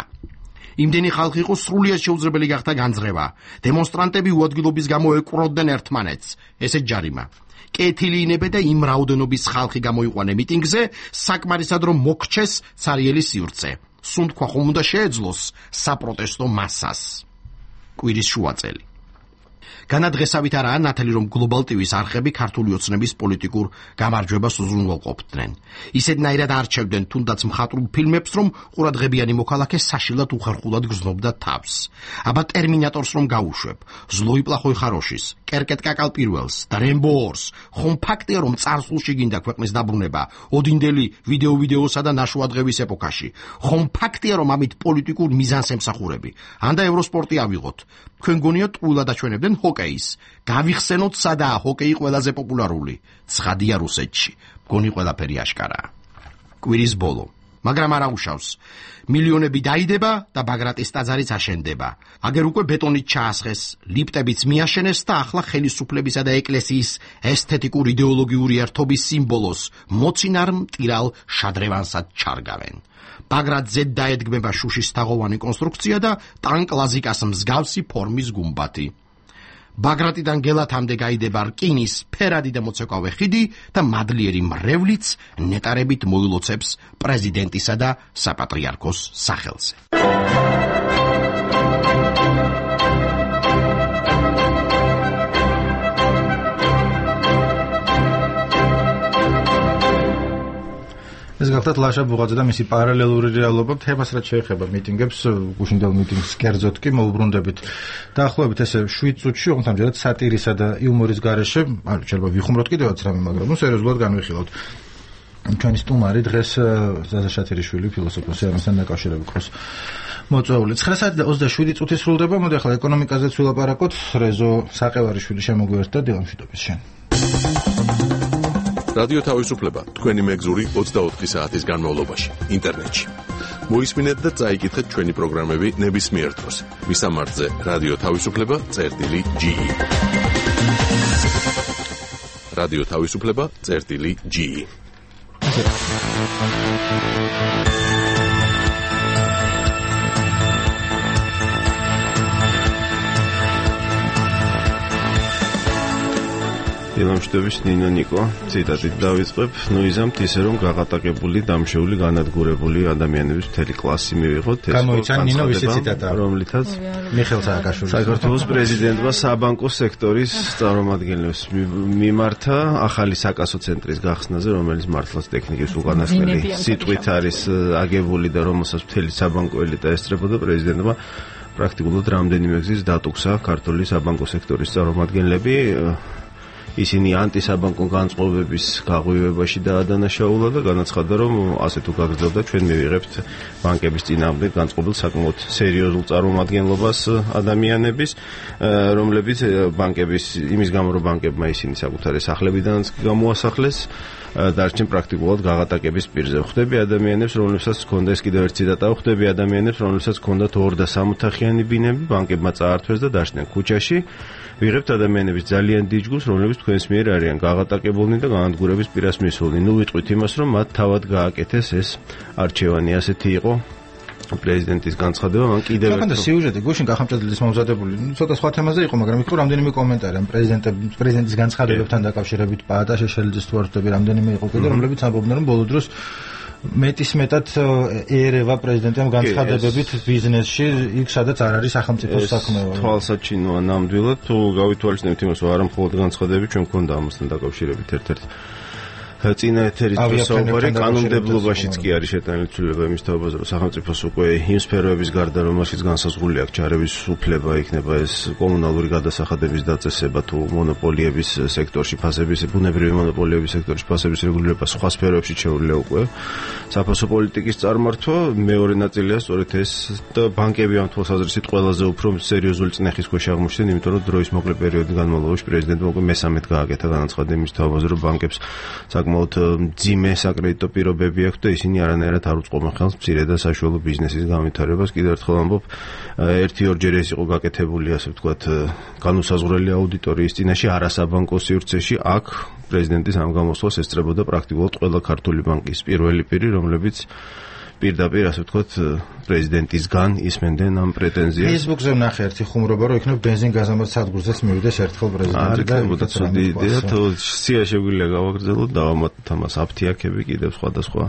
იმდენი ხალხი იყო სრულიად შეუძლებელი გახდა განძღება. დემონსტრანტები უადგილობის გამო ეკვროდნენ ერთმანეთს. ესეც ჯარიმა. კეთილი ინებე და იმ რაოდენობის ხალხი გამოიყვანე მიტინგზე, საკმარისად რომ მოგჩეს ცარიელი სივრცე. სუნთქვა ხომ უნდა შეეძლოს საპროტესტო მასას. კვირის შუაწელი. განადღესავით არაა ნათელი, რომ გლობალ ტივის არხები ქართული ოცნების პოლიტიკურ გამარჯვებას უზრუნველყოფდნენ. ისედნაირად არჩევდნენ თუნდაც მხატვრულ ფილმებს, რომ ყურადღებიანი მოქალაქე საშილად უხერხულად გრძნობდა თავს. აბა ტერმინატორს რომ გაუშვებ, ზლოი პლახოი ხაროშის, კერკეტ კაკალ პირველს და რემბო 2-ს, ხომ ფაქტია, რომ წარსულში გინდა ქვეყნის დაბრუნება ოდინდელი ვიდეოსა და ნაშუადღების ეპოქაში. ხომ ფაქტია, რომ ამით პოლიტიკურ მიზანს ემსახურები. ანდა ევროსპორტი ავიღოთ. თქვენ გონიათ ტყუილად აჩვენებდნენ ჰოკეის. გავიხსენოთ სადაა ჰოკეი ყველაზე პოპულარული. ცხადია რუსეთში. გონი ყველაფერი აშკარაა. კვირის ბოლო. მაგრამ არა უშავს. მილიონები დაიდება და ბაგრატის ტაძარიც აშენდება. აგერ უკვე ბეტონით ჩაასხეს, ლიფტებიც მიაშენეს და ახლა ხელისუფლებისა და ეკლესიის ესთეტიკურ იდეოლოგიური ერთობის სიმბოლოს მოცინარ მტირალ შადრევანსად ჩარგავენ. ბაგრატზე დაედგმება შუშის თაღოვანი კონსტრუქცია და ტანკლაზიკას მსგავსი ფორმის გუმბათი. ბაგრატიდან გელათამდე გაიდება რკინის ფერადი და მოცეკვავე ხიდი და მადლიერი მრევლიც ნეტარებით მოილოცებს პრეზიდენტისა და საპატრიარქოს სახელზე. ეს გახლავთ ლაშა ბუღაძე და მისი პარალელური რეალობა. თემას რაც შეეხება მიტინგებს, გუშინდელ მიტინგს კერძოდ კი მოუბრუნდებით. დაახლოებით ესე 7 წუთში, ოღონდ ამჯერად სატირისა და იუმორის გარეშე, შეიძლება ვიხუმროთ კიდევაც რამე, მაგრამ სერიოზულად განვიხილოთ. ჩვენი სტუმარი დღეს ზაზა შათერიშვილი, ფილოსოფოსი, ამასთან დაკავშირებით ხოს მოწვეული. 9:27 წუთი სრულდება. მოდი ახლა ეკონომიკაზეც ვილაპარაკოთ. რეზო საყევარიშვილი შემოგვიერთდა დილამშვიდობის შენ. რადიო თავისუფლება თქვენი მეგზური 24 საათის განმავლობაში ინტერნეტში. მოისმინეთ და წაიკითხეთ ჩვენი პროგრამები ნებისმიერ დროს. მისამართზე რადიო თავისუფლება.ge. რადიო თავისუფლება.ge. დილამშვიდობის ნინო ნიკო, ციტატით დავიწყებ. ნუიზამთ ისე რომ გაღატაკებული, დამშეული, განადგურებული ადამიანების მთელი კლასი მივიღოთ. გამოიცან ნინო ვისი ციტატა, რომლითაც მიხეილ სააკაშვილის საქართველოს პრეზიდენტმა საბანკო სექტორის წარმომადგენლებს მიმართა ახალი საკასო ცენტრის გახსნაზე, რომელიც მართლაც ტექნიკის უკანასკნელი სიტყვით არის აგებული და რომელსაც მთელი საბანკო ელიტა ესწრებოდა, პრეზიდენტმა პრაქტიკულად რამდენიმე გზის დატუქსა ქართული საბანკო სექტორის წარმომადგენლები. ისინი ანტისაბანკო განწყობების გაღვივებაში დაადანაშაულა და განაცხადა, რომ ასე თუ გაგრძელდა, ჩვენ მივიღებთ ბანკების წინააღმდეგ განწყობილ საკმაოდ სერიოზულ წარმომადგენლობას ადამიანების, რომლებიც ბანკების იმის გამო, რომ ბანკებმა ისინი საკუთარი სახლებიდანაც გამოასახლეს, დარჩენ პრაქტიკულად გაღატაკების პირზე. ხვდები ადამიანებს, რომლებსაც ჰქონდა ეს კიდევ ერთი ციტატა, ხვდები ადამიანებს, რომლებსაც ჰქონდათ 2 და 3 ოთახიანი ბინები, ბანკებმა წაართვეს და დაშდნენ ქუჩაში. ვიღებთ ადამიანების ძალიან დიდ ჯგუფს, რომლებიც თქვენს მიერ არიან გაღატაკებულნი და განადგურების პირას მისულნი. ნუ ვიტყვით იმას, რომ მათ თავად გააკეთეს ეს არჩევანი. ასეთი იყო პრეზიდენტის განცხადება. მან კიდევ ერთხელ სიუჟეტი გუშინ გახამჭედლის მომზადებული, ცოტა სხვა თემაზე იყო, მაგრამ იქ რამდენიმე კომენტარი ამ პრეზიდენტის განცხადებებთან დაკავშირებით, პაატა შეშელიძის თუ არ ვთქვი, რამდენიმე იყო კიდე, რომლებიც ამბობდნენ, რომ ბოლო დროს მეტისმეტად ერევა პრეზიდენტამ განცხადებებით ბიზნესში, იქ სადაც არ არის სახელმწიფო საქმე. თვალსაჩინოა ნამდვილად, თუ გავითვალისწინებთ იმას, რომ არა მხოლოდ განცხადებები, ჩვენ მქონდა ამასთან დაკავშირებით ერთ-ერთი წინა ეთერის საუბარი კანონმდებლობაშიც კი არის შეტანილი ცვლილება იმის თაობაზე, რომ სახელმწიფოს უკვე იმ სფეროების გარდა, რომელშიც განსაზღვრული აქვს ჩარევის უფლება, იქნება ეს კომუნალური გადასახადების დაწესება თუ მონოპოლიების სექტორში ფასების, ბუნებრივი მონოპოლიების სექტორში ფასების რეგულირება, სხვა სფეროებში შეუძლია უკვე საფასო პოლიტიკის წარმართვა. მეორე ნაწილია სწორედ ეს და ბანკები ამ თვალსაზრისით ყველაზე უფრო სერიოზული წნეხის ქვეშ აღმოჩნდნენ, იმიტომ რომ დროის მოკლე პერიოდის განმავლობაში პრეზიდენტმა უკვე მესამედ გააკეთა განაცხადება იმის თაობაზე, რომ ბანკებს საკმაოდ მძიმე საკრედიტო პირობები აქვს და ისინი არანაირად არ უწყობენ ხელს მცირე და საშუალო ბიზნესის განვითარებას. კიდევ ერთხელ ამბობ, 1-2 ჯერ ეს იყო გაკეთებული, ასე ვთქვათ, განუსაზღვრელი აუდიტორიის წინაშე არასაბანკო სივრცეში. აქ პრეზიდენტის ამ გამოსვლას ესწრებოდა პრაქტიკულად ყველა ქართული ბანკის პირველი პირი, რომლებიც პირდაპირ ასე ვთქვათ პრეზიდენტისგან ისმენდნენ ამ პრეტენზიას. Facebook-ზე ვნახე ერთი ხუმრობა, რომ იქნებ ბენზინგაზამად სადგურზეც მივიდეს ერთხელ პრეზიდენტი და იქნებოდა ცუდი იდეა, თუ სია შეგვიძლია გავაგრძელოთ და ავამატოთ ამას აფთიაქები კიდევ სხვადასხვა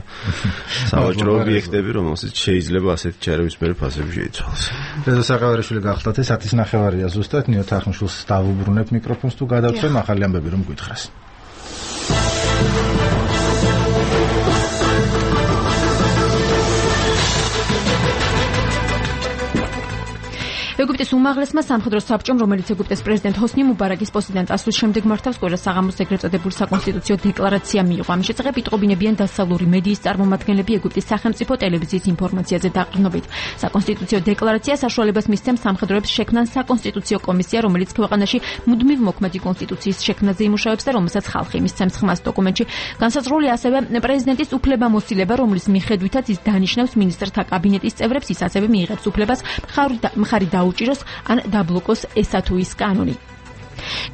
სავაჭრო ობიექტები, რომელსაც შეიძლება ასეთი ჩარევის მერე ფასები შეიცვალოს. რეზო საყევარიშვილი გახლავთ, 1:09 ზუსტად ნინო თახნიშვილს დავუბრუნებ მიკროფონს თუ გადავწვევ ახალი ამბები რომ გითხრას. ეგვიპტის უმაღლესმა სამხედრო საბჭომ, რომელიც ეგვიპტეს პრეზიდენტ ჰოსნი მუბარაკის პოსტიდან წასვლის შემდეგ მართავს კვირას საღამოს ეგრეთ წოდებულ საკონსტიტუციო დეკლარაცია მიიღო. ამის შესახებ იტყობინებიან დასავლური მედიის წარმომადგენლები ეგვიპტის სახელმწიფო ტელევიზიის ინფორმაციაზე დაყრდნობით. საკონსტიტუციო დეკლარაცია საშუალებას მისცემს სამხედროებს შექმნან საკონსტიტუციო კომისია, რომელიც ქვეყანაში მუდმივ მოქმედი კონსტიტუციის შექმნაზე იმუშავებს და რომელსაც ხალხი მისცემს ხმას. დოკუმენტში განსაზღვრულია ასევე პრეზიდენტის უფლებამოსილება, რომლის მიხედვითაც ის დანიშნავს მინისტრთა კაბინეტის წევრებს, ის ასევე მიიღებს უფლებას მხარი დაუჭიროს ან დაბლოკოს ესა თუ ის კანონი.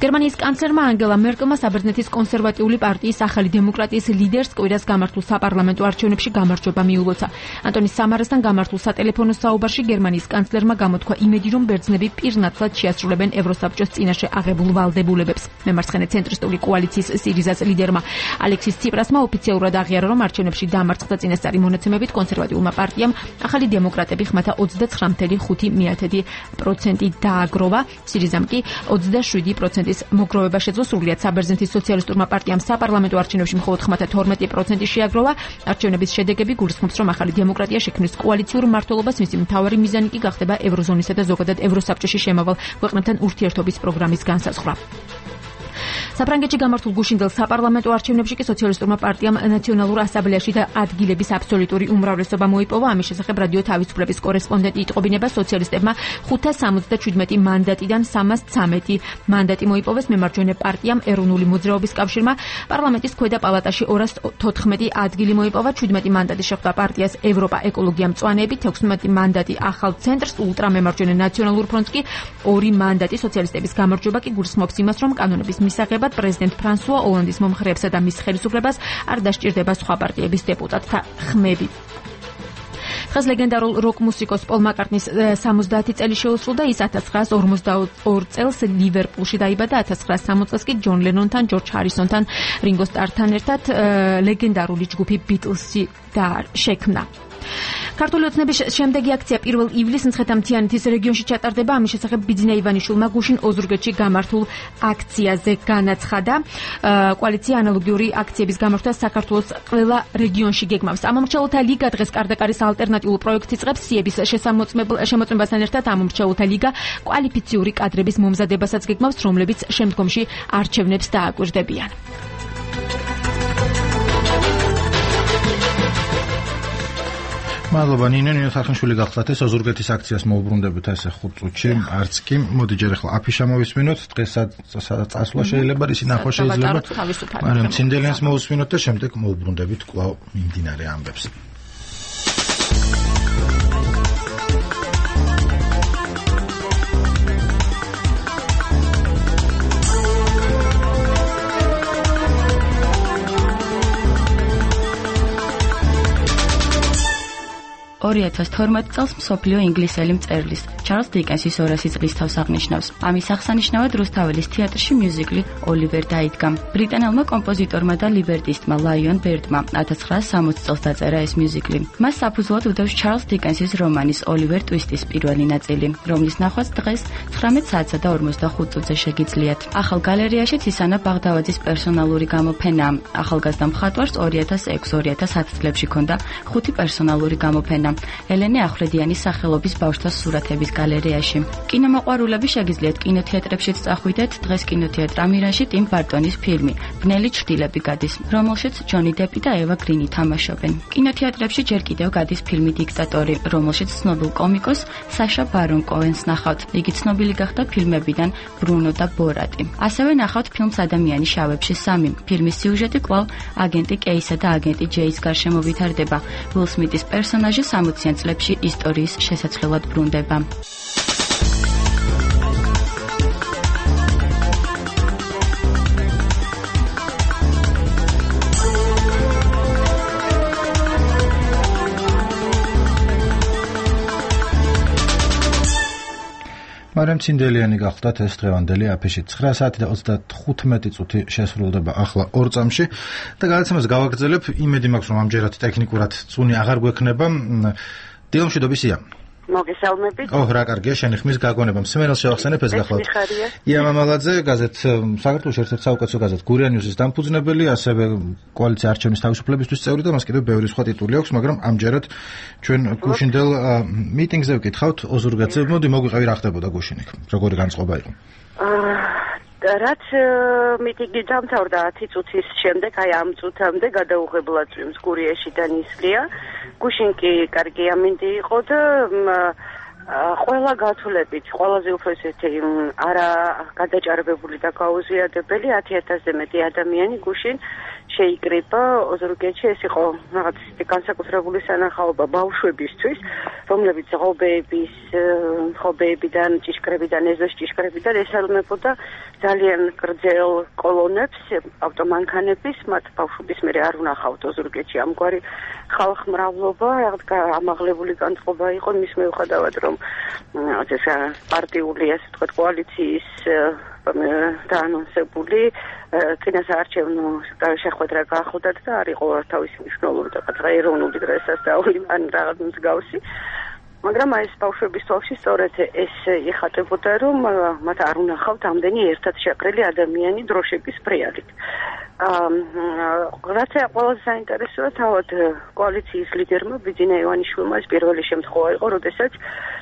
გერმანიის კანცლერმა ანგელა მერკელმა საბერძნეთის კონსერვატიული პარტიის ახალი დემოკრატიის ლიდერს კვირას გამართულ საპარლამენტო არჩევნებში გამარჯვება მიულოცა. ანტონი სამარასთან გამართულ სატელეფონო საუბარში გერმანიის კანცლერმა გამოთქვა იმედი, რომ ბერძნები პირნათლად შეასრულებენ ევროსაბჭოს წინაშე აღებულ ვალდებულებებს. მემარცხენე ცენტრისტული კოალიციის სირიზას ლიდერმა ალექსის ციპრასმა ოფიციალურად აღიარა, რომ არჩევნებში დამარცხდა წინასწარი მონაცემებით კონსერვატიულმა პარტიამ ახალი დემოკრატები ხმათა 29.5% დააგროვა, სირიზამ კი 27%-ის მოგროვება შეძლო. სრულიად საბერძნეთის სოციალისტურმა პარტიამ საპარლამენტო არჩევნებში მხოლოდ ხმათა 12% შეაგროვა. არჩევნების შედეგები გულისხმობს, რომ ახალი დემოკრატია შექმნის კოალიციურ მმართველობას, მისი მთავარი მიზანი კი გახდება ევროზონისა და ზოგადად ევროსაბჭოში შემავალ ქვეყნებთან ურთიერთობის პროგრამის განსაზღვრა. საფრანგეთში გამართულ გუშინდელ საპარლამენტო არჩევნებში კი სოციალისტურმა პარტიამ ნაციონალურ ასამბლეაში და ადგილების აბსოლუტური უმრავლესობა მოიპოვა. ამის შესახებ რადიო თავისუფლების კორესპონდენტი იტყობინება, სოციალისტებმა 577 მანდატიდან 313 მანდატი მოიპოვეს. მემარჯვენე პარტიამ ეროვნული მოძრაობის კავშირმა პარლამენტის ქვედა პალატაში 214 ადგილი მოიპოვა. 17 მანდატი შეხვდა პარტიას ევროპა ეკოლოგია მწვანეები, 16 მანდატი ახალ ცენტრს, ულტრამემარჯვენე ნაციონალურ ფრონტს კი 2 მანდატი. სოციალისტების გამარჯვება კი გულისხმობს იმას, რომ კანონების მისაღებად პრეზიდენტ ფრანსუა ოლანდის მომხრეებსა და მის ხელისუფლებას არ დასჭირდება სხვა პარტიების დეპუტატთა ხმები. დღეს ლეგენდარულ როკ მუსიკოს პოლ მაკარტნის 70 წელი შეუსრულდა. ის 1942 წელს ლივერპულში დაიბადა. 1960 წელს კი ჯონ ლენონთან, ჯორჯ ჰარისონთან, რინგო სტართან ერთად ლეგენდარული ჯგუფი ბიტლსი შექმნა. ქართული ოცნების შემდეგი აქცია 1 ივლისს მცხეთა-მთიანეთის რეგიონში ჩატარდება. ამის შესახებ ბიძინა ივანიშვილმა გუშინ ოზურგეთში გამართულ აქციაზე განაცხადა. კოალიცია ანალოგიური აქციების გამართვას საქართველოს ყველა რეგიონში გეგმავს. ამომრჩეველთა ლიგა დღეს კარდაკარის ალტერნატიულ პროექტს იწყებს. სიების შემოწმებასთან ერთად ამომრჩეველთა ლიგა კვალიფიციური კადრების მომზადებასაც გეგმავს, რომლებიც შემდგომში არჩევნებს დააკვირდებიან. მადლობა ნინო თახნიშვილი გახლავთ. ეს ოზურგეთის აქციას მოუბრუნდებით ესე 5 წუთში, არც კი. მოდი ჯერ ახლა აფიშა მოვისმინოთ. დღეს წასვლა შეიძლება, ისი ნახვა შეიძლება. მაგრამ ცინდელიანს მოусმინოთ და შემდეგ მოუბრუნდებით კვლავ მიმდინარე ამბებს. ორი 2012 წელს მსოფლიო ინგლისელი მწერლის ჩარლზ დიკენსის 200 წლის თავს აღნიშნავს. ამის აღსანიშნავად რუსთაველის თეატრში მიუზიკლი ოლივერ დაიდგა. ბრიტანელმა კომპოზიტორმა და ლიბერტისტმა ლაიონ ბერდმა 1960 წელს დაწერა ეს მიუზიკლი. მას საფუძვლად უდევს ჩარლზ დიკენსის რომანის ოლივერ ტვისტის პირველი ნაწილი, რომლის ნახვაც დღეს 19 საათსა და 45 წუთზე შეგიძლიათ. ახალ გალერეაშიც ისანა ბაღდავაძის პერსონალური გამოფენაა. ახალგაზრდა მხატვარს 2006-2010 წლებში ჰქონდა 5 პერსონალური გამოფენა. ელენე ახვლედიანის სახელობის ბავშვთა სურათების გალერეაში. კინომოყვარულები შეგიძლიათ კინოთეატრებშიც წახვიდეთ. დღეს კინოთეატრ ამირანში ტიმ ბარტონის ფილმი ბნელი ჩრდილები გადის, რომელშიც ჯონი დეპი და ევა გრინი თამაშობენ. კინოთეატრებში ჯერ კიდევ გადის ფილმი დიქტატორი, რომელშიც ცნობილ კომიკოს საშა ბარონ კოენს ნახავთ. იგი ცნობილი გახდა ფილმებიდან ბრუნო და ბორატი. ასევე ნახავთ ფილმს ადამიანი შავებში 3. ფილმის სიუჟეტი კვლავ აგენტი კეისა და აგენტი ჯეის გარშემო ვითარდება. უილ სმიტის პერსონაჟი 60-იან წლებში ისტორიის შესაძლებლად ბრუნდება. მაგრამ ცინდელიანი გახლდათ ეს დღევანდელი აფიში 9 საათი და 35 წუთი შესრულდება ახლა 2 წამში და გადაცემას გავაგრძელებ. იმედი მაქვს რომ ამჯერად ტექნიკურად წუნი აღარ გვექნება. დილომშვიდობისია. მოგესალმებით. რა კარგია, შენი ხმის გაგონება. მსმენელს შევახსენებ ეს გახლავთ. ია მამალაძე, გაზეთ საქართველოს ერთ-ერთი საუკეთესო გაზეთ გურია ნიუსის დამფუძნებელი, ასევე კოალიცია არჩევნის თავისუფლებისთვის წევრი და მას კიდევ ბევრი სხვა ტიტული აქვს, მაგრამ ამჯერად ჩვენ გუშინდელ მიტინგზე ვკითხავთ ოზურგეთზე. მოდი მოგვიყევი რა ხდებოდა გუშინ იქ. როგორი განწყობა იყო? რაც მიტინგი დამთავრდა 10 წუთის შემდეგ, აი ამ წუთამდე გადაუღებლად წვიმს გურიაში და ნისლია. გუშინ კი კარგი ამინდი იყო და ყველა გათვლებით, ყველაზე უფრო ესეთი არა გადაჭარბებული და გაუზიადებელი 10,000-ზე მეტი ადამიანი გუშინ შეიკრიბა ოზურგეთში. ეს იყო რაღაც განსაკუთრებული სანახაობა ბავშვებისთვის, რომლებიც ღობეებიდან, ჭიშკრებიდან, ეზოს ჭიშკრებიდან ესალმებოდა ძალიან გრძელ კოლონებს, ავტომანქანების, მათ ბავშვების მერე არ უნახავთ ოზურგეთში ამგვარი ხალხმრავლობა, რაღაც ამაღლებული განწყობა იყო მის მიუხედავად, რომ ეს პარტიული, ასე ვთქვათ, კოალიციის დაანონსებული წინასაარჩევნო შეხვედრა გაახოდათ და არ იყო თავისი მნიშვნელობა და ეროვნული დღესასწაული ან რაღაც მსგავსი. მაგრამ ეს ბავშვების თვალში სწორედ ეს იხატებოდა, რომ მათ არ უნახავთ ამდენი ერთად შეყრილი ადამიანი დროშების ბრიალით. რაც ყველაზე საინტერესოა, თავად კოალიციის ლიდერმა ბიძინა ივანიშვილმა ეს პირველი შემთხვევა იყო, როდესაც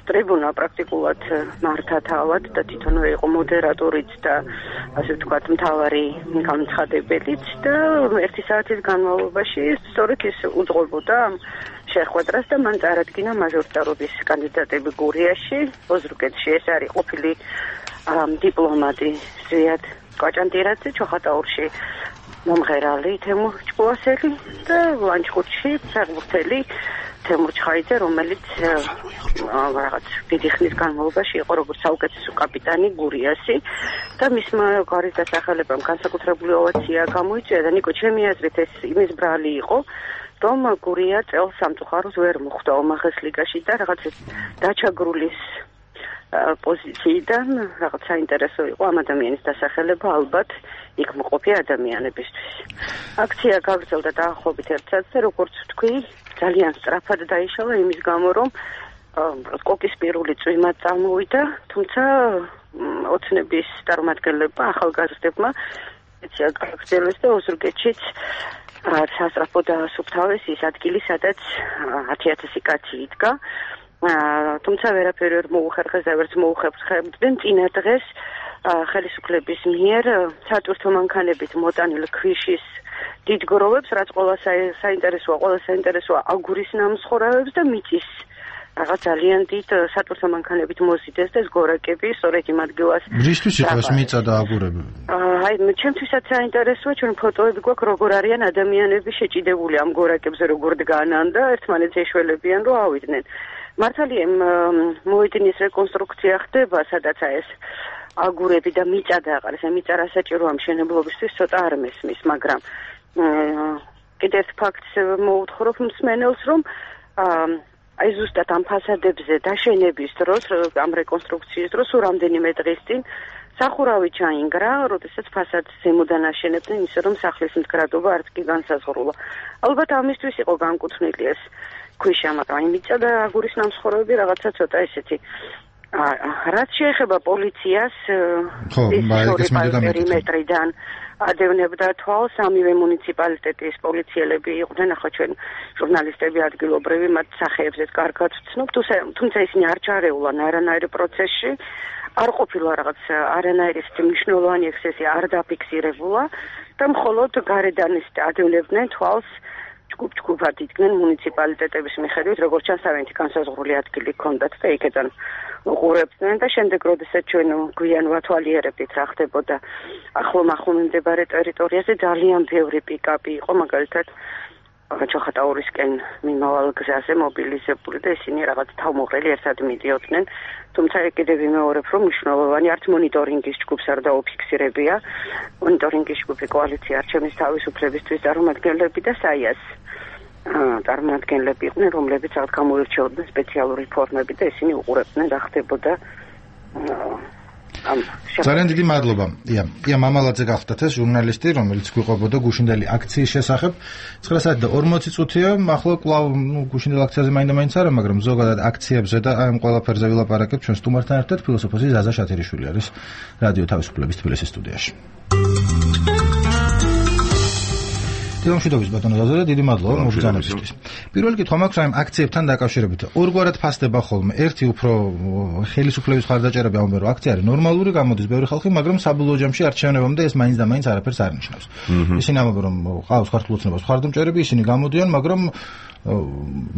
ტრიბუნა პრაქტიკულად მართა თავად და თვითონვე იყო მოდერატორიც და ასე ვთქვათ მთავარი განცხადებელიც და 1 საათის განმავლობაში სწორედ ის უძღვებოდა შეხვედრას და მან წარადგინა მაჟორიტარობის კანდიდატები გურიაში, ოზურგეთში. ეს არის ყოფილი დიპლომატი ზვიად კვაჭანტირაძე, ჩოხატაურში მომღერალი თემურ ჭკუასელი და ლანჩხუთში ფეხბურთელი თემურ ჩხაიძე, რომელიც რაღაც დიდი ხნის განმავლობაში იყო როგორც საუკეთესო კაპიტანი გურიასი და მისმა გვარის დასახელებამ განსაკუთრებული ოვაცია გამოიწვია და ნიკო, ჩემი აზრით ეს იმის ბრალი იყო, რომ გურია წელს სამწუხაროს ვერ მოხვდა ომახეს ლიგაში და რაღაც დაჩაგრულის პოზიციიდან რაღაც საინტერესო იყო ამ ადამიანის დასახელება ალბათ იქ მოყოფი ადამიანებისთვის. აქცია გაგრძელდა დაახლოებით 1 საათზე, როგორც ვთქვი, ძალიან სწრაფად დაიშალა იმის გამო, რომ კოკისპირული წვიმა წამოვიდა, თუმცა ოცნების წარმომადგენლებმა, ახალგაზრდებმა აქცია გაგრძელეს და ოზურგეთშიც სასწრაფო დაასუფთავეს ის ადგილი, სადაც 10,000 კაცი იდგა. თუმცა ვერაფერი ვერ მოუხერხეს და ვერც მოუხერხებდნენ წინა დღეს ხელისუფლების მიერ სატვირთო მანქანებით მოტანილ ქვიშის დიდ გროვებს, რაც ყველა საინტერესოა აგურის ნამსხურავებს და მიწის რაღაც ძალიან დიდ სატვირთო მანქანებით მოზიდეს და ეს გორაკები სწორედ იმ ადგილას. რისთვის იყო ეს მიწა და აგურები? აი, ჩემთვისაც საინტერესოა, ჩვენ ფოტოები გვაქვს, როგორ არიან ადამიანები შეჭიდებული ამ გორაკებზე, როგორ დგანან და ერთმანეთს ეშველებიან, რომ ავიდნენ. მართალია მოედნის რეკონსტრუქცია ხდება, სადაც ეს აგურები და მიწა დააყარეს. მიწა რა საჭიროა მშენებლობისთვის ცოტა არ მესმის, მაგრამ კიდევ ერთ ფაქტს მოუთხრობ მსმენელს, რომ აი ზუსტად ამ ფასადებზე დაშენების დროს, ამ რეკონსტრუქციის დროს რამდენიმე დღის წინ სახურავი ჩაინგრა, როდესაც ფასადს ზემოდან აშენებდნენ, ისე რომ სახლის მდგრადობა არც კი განსაზღვრულა. ალბათ ამისთვის იყო განკუთვნილი ეს ქვიშა, მაგრამ მიწა და აგურის ნამსხურევები რაღაცა ცოტა ესეთი. რაც შეეხება პოლიციას, პერიმეტრიდან ადევნებდა თვალს სამივე მუნიციპალიტეტის პოლიციელები იყვნენ, ახლა ჩვენ ჟურნალისტები ადგილობრივი მათ სახეებზეც კარგად ვცნობთ, თუმცა ისინი არ ჩარეულან არანაირ პროცესში, არ ყოფილა რაღაც არანაირი მნიშვნელოვანი ექსცესი არ დაფიქსირებულა და მხოლოდ გარედან ადევნებდნენ თვალს ჯგუფ-ჯგუფად იდგნენ მუნიციპალიტეტების მიხედვით, როგორც ჩანს თავიანთი განსაზღვრული ადგილი ჰქონდათ და იქიდან უყურებდნენ და შემდეგ როდესაც ჩვენ გვიან ვათვალიერებდით რა ხდებოდა ახლო მდებარე ტერიტორიაზე, ძალიან ბევრი პიკაპი იყო, მაგალითად ჩოხატაურისკენ მიმავალ გზაზე მობილიზებული და ისინი რაღაც თავმოყრილი ერთად მიდიოდნენ. თუმცა კიდევ ვიმეორებ, რომ მნიშვნელოვანი არც მონიტორინგის ჯგუფს არ დაუფიქსირებია. მონიტორინგის ჯგუფი კოალიცია არჩევნის თავისუფლებისთვის წარმომადგენლები და საიას წარმომადგენლები იყვნენ, რომლებიც რაღაც გამოირჩეოდნენ სპეციალური ფორმები და ისინი უყურებდნენ რა ხდებოდა ძალიან დიდი მადლობა. ია მამალაძე გახდათ ეს ჟურნალისტი, რომელიც გვიყვებოდა გუშინდელი აქციის შესახებ. 9 საათი და 40 წუთია. ახლა კვლავ გუშინდელ აქციაზე მაინდა-მაინც არა, მაგრამ ზოგადად აქციებზე და ამ ყველაფერზე ვილაპარაკებთ ჩვენ სტუმართან ერთად. ფილოსოფოსი ზაზა შათერიშვილი არის რადიო თავისუფლების თბილისის სტუდიაში. თემშიდობის ბატონო ზაზა, დიდი მადლობა მოგზაურობისთვის. პირველი კითხვა მაქვს ამ აქციებთან დაკავშირებით. ორგვარად ფასდება ხოლმე. ერთი უფრო ხელისუფლების მხარდაჭერები ამბობენ, რომ აქცია არის ნორმალური, გამოდის ბევრი ხალხი, მაგრამ საბოლოო ჯამში არჩევნებამდე ეს მაინც და მაინც არაფერს არ ნიშნავს. ისინი ამბობენ, რომ ყავს ქართულ ოცნებას მხარდამჭერები, ისინი გამოდიან, მაგრამ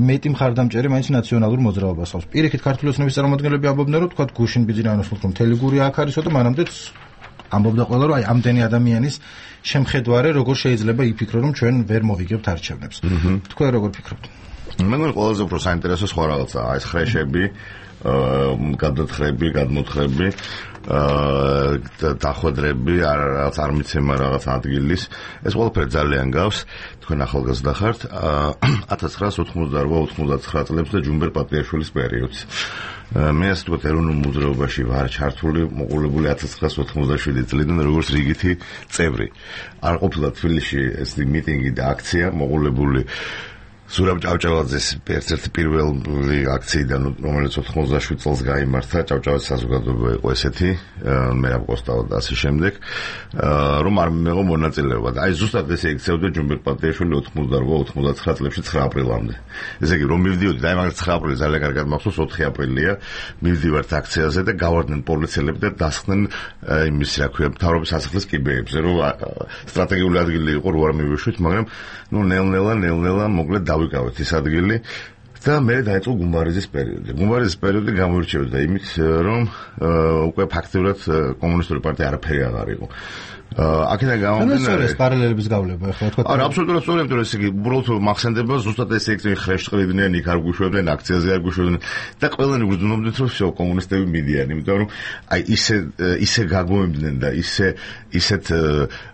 მეტი მხარდამჭერი მაინც ნაციონალურ მოძრაობას ხავს. პირიქით ქართული ოცნების წარმომადგენლები ამბობენ, რომ თქვა გუშინ ბიძინაიანოს რომ მთელი გური აქ არისო და მანამდე ამბობდა ყველა, რომ აი ამდენი ადამიანის შემხედვარე როგორ შეიძლება იფიქრო, რომ ჩვენ ვერ მოვიგებთ არჩევნებს. თქვენ როგორ ფიქრობთ? მე მგონი ყველაზე უფრო საინტერესო სხვა რაღაცაა ეს ხრეშები, გადათხრები, გადმოთხრები, დახვედრები, რაღაც არ მიცემა რაღაც ადგილის. ეს ყველაფერი ძალიან გავს. თქვენ ახალგაზრდა ხართ 1988-99 წლებს და ჯუმბერ პატიაშვილის პერიოდს. მე ასე ვთქვათ, ეროვნულ მოძრაობაში ვარ ჩართული, მოყოლებული 1987 წლიდან როგორც რიგითი წევრი. არ ყოფილა თბილისში ეს მიტინგი და აქცია მოყოლებული ზურაბ ჭავჭავაძის ერთ-ერთი პირველი აქციიდან, რომელიც 87 წელს გაიმართა, ჭავჭავაძის საზოგადოება იყო ესეთი, მერაბ კოსტავა და ასე შემდეგ, რომ არ მიიღო მონაწილეობა. აი ზუსტად ესე იქცეოდა ჯუმბერ პატიაშვილი 88-99 წლებში 9 აპრილამდე. ესე იგი, რომ მივდიოდი, აი მაგალითად 9 აპრილი ძალიან კარგად მახსოვს, 4 აპრილია, მივდივართ აქციაზე და გავარდნენ პოლიციელები და დასხდნენ იმის, რა ქვია, მთავრობის სასახლის კიბეებზე, რომ სტრატეგიული ადგილი იყო, რო არ მივეშვით, მაგრამ ნუ ნელ-ნელა მოკლედ დავიკავეთ ეს ადგილი და მე დაიწყო გუმბარიზის პერიოდი. გუმბარიზის პერიოდი გამოირჩეოდა იმით, რომ უკვე ფაქტიურად კომუნისტური პარტია არაფერი აღარ იყო. აქედან გამომდინარე ეს პარალელების გავლება ახლა თქვა. არა, აბსოლუტურად სწორია, იმიტომ რომ ესე იგი უბრალოდ მახსენდება ზუსტად ეს ექცევი ხრეშ ყრიდნენ, იქ არ გუშვებდნენ, აქციაზე არ გუშვებდნენ და ყველანი გრძნობდნენ, რომ всё კომუნისტები მიდიან, იმიტომ რომ აი ისე გაგოემდნენ და ისეთ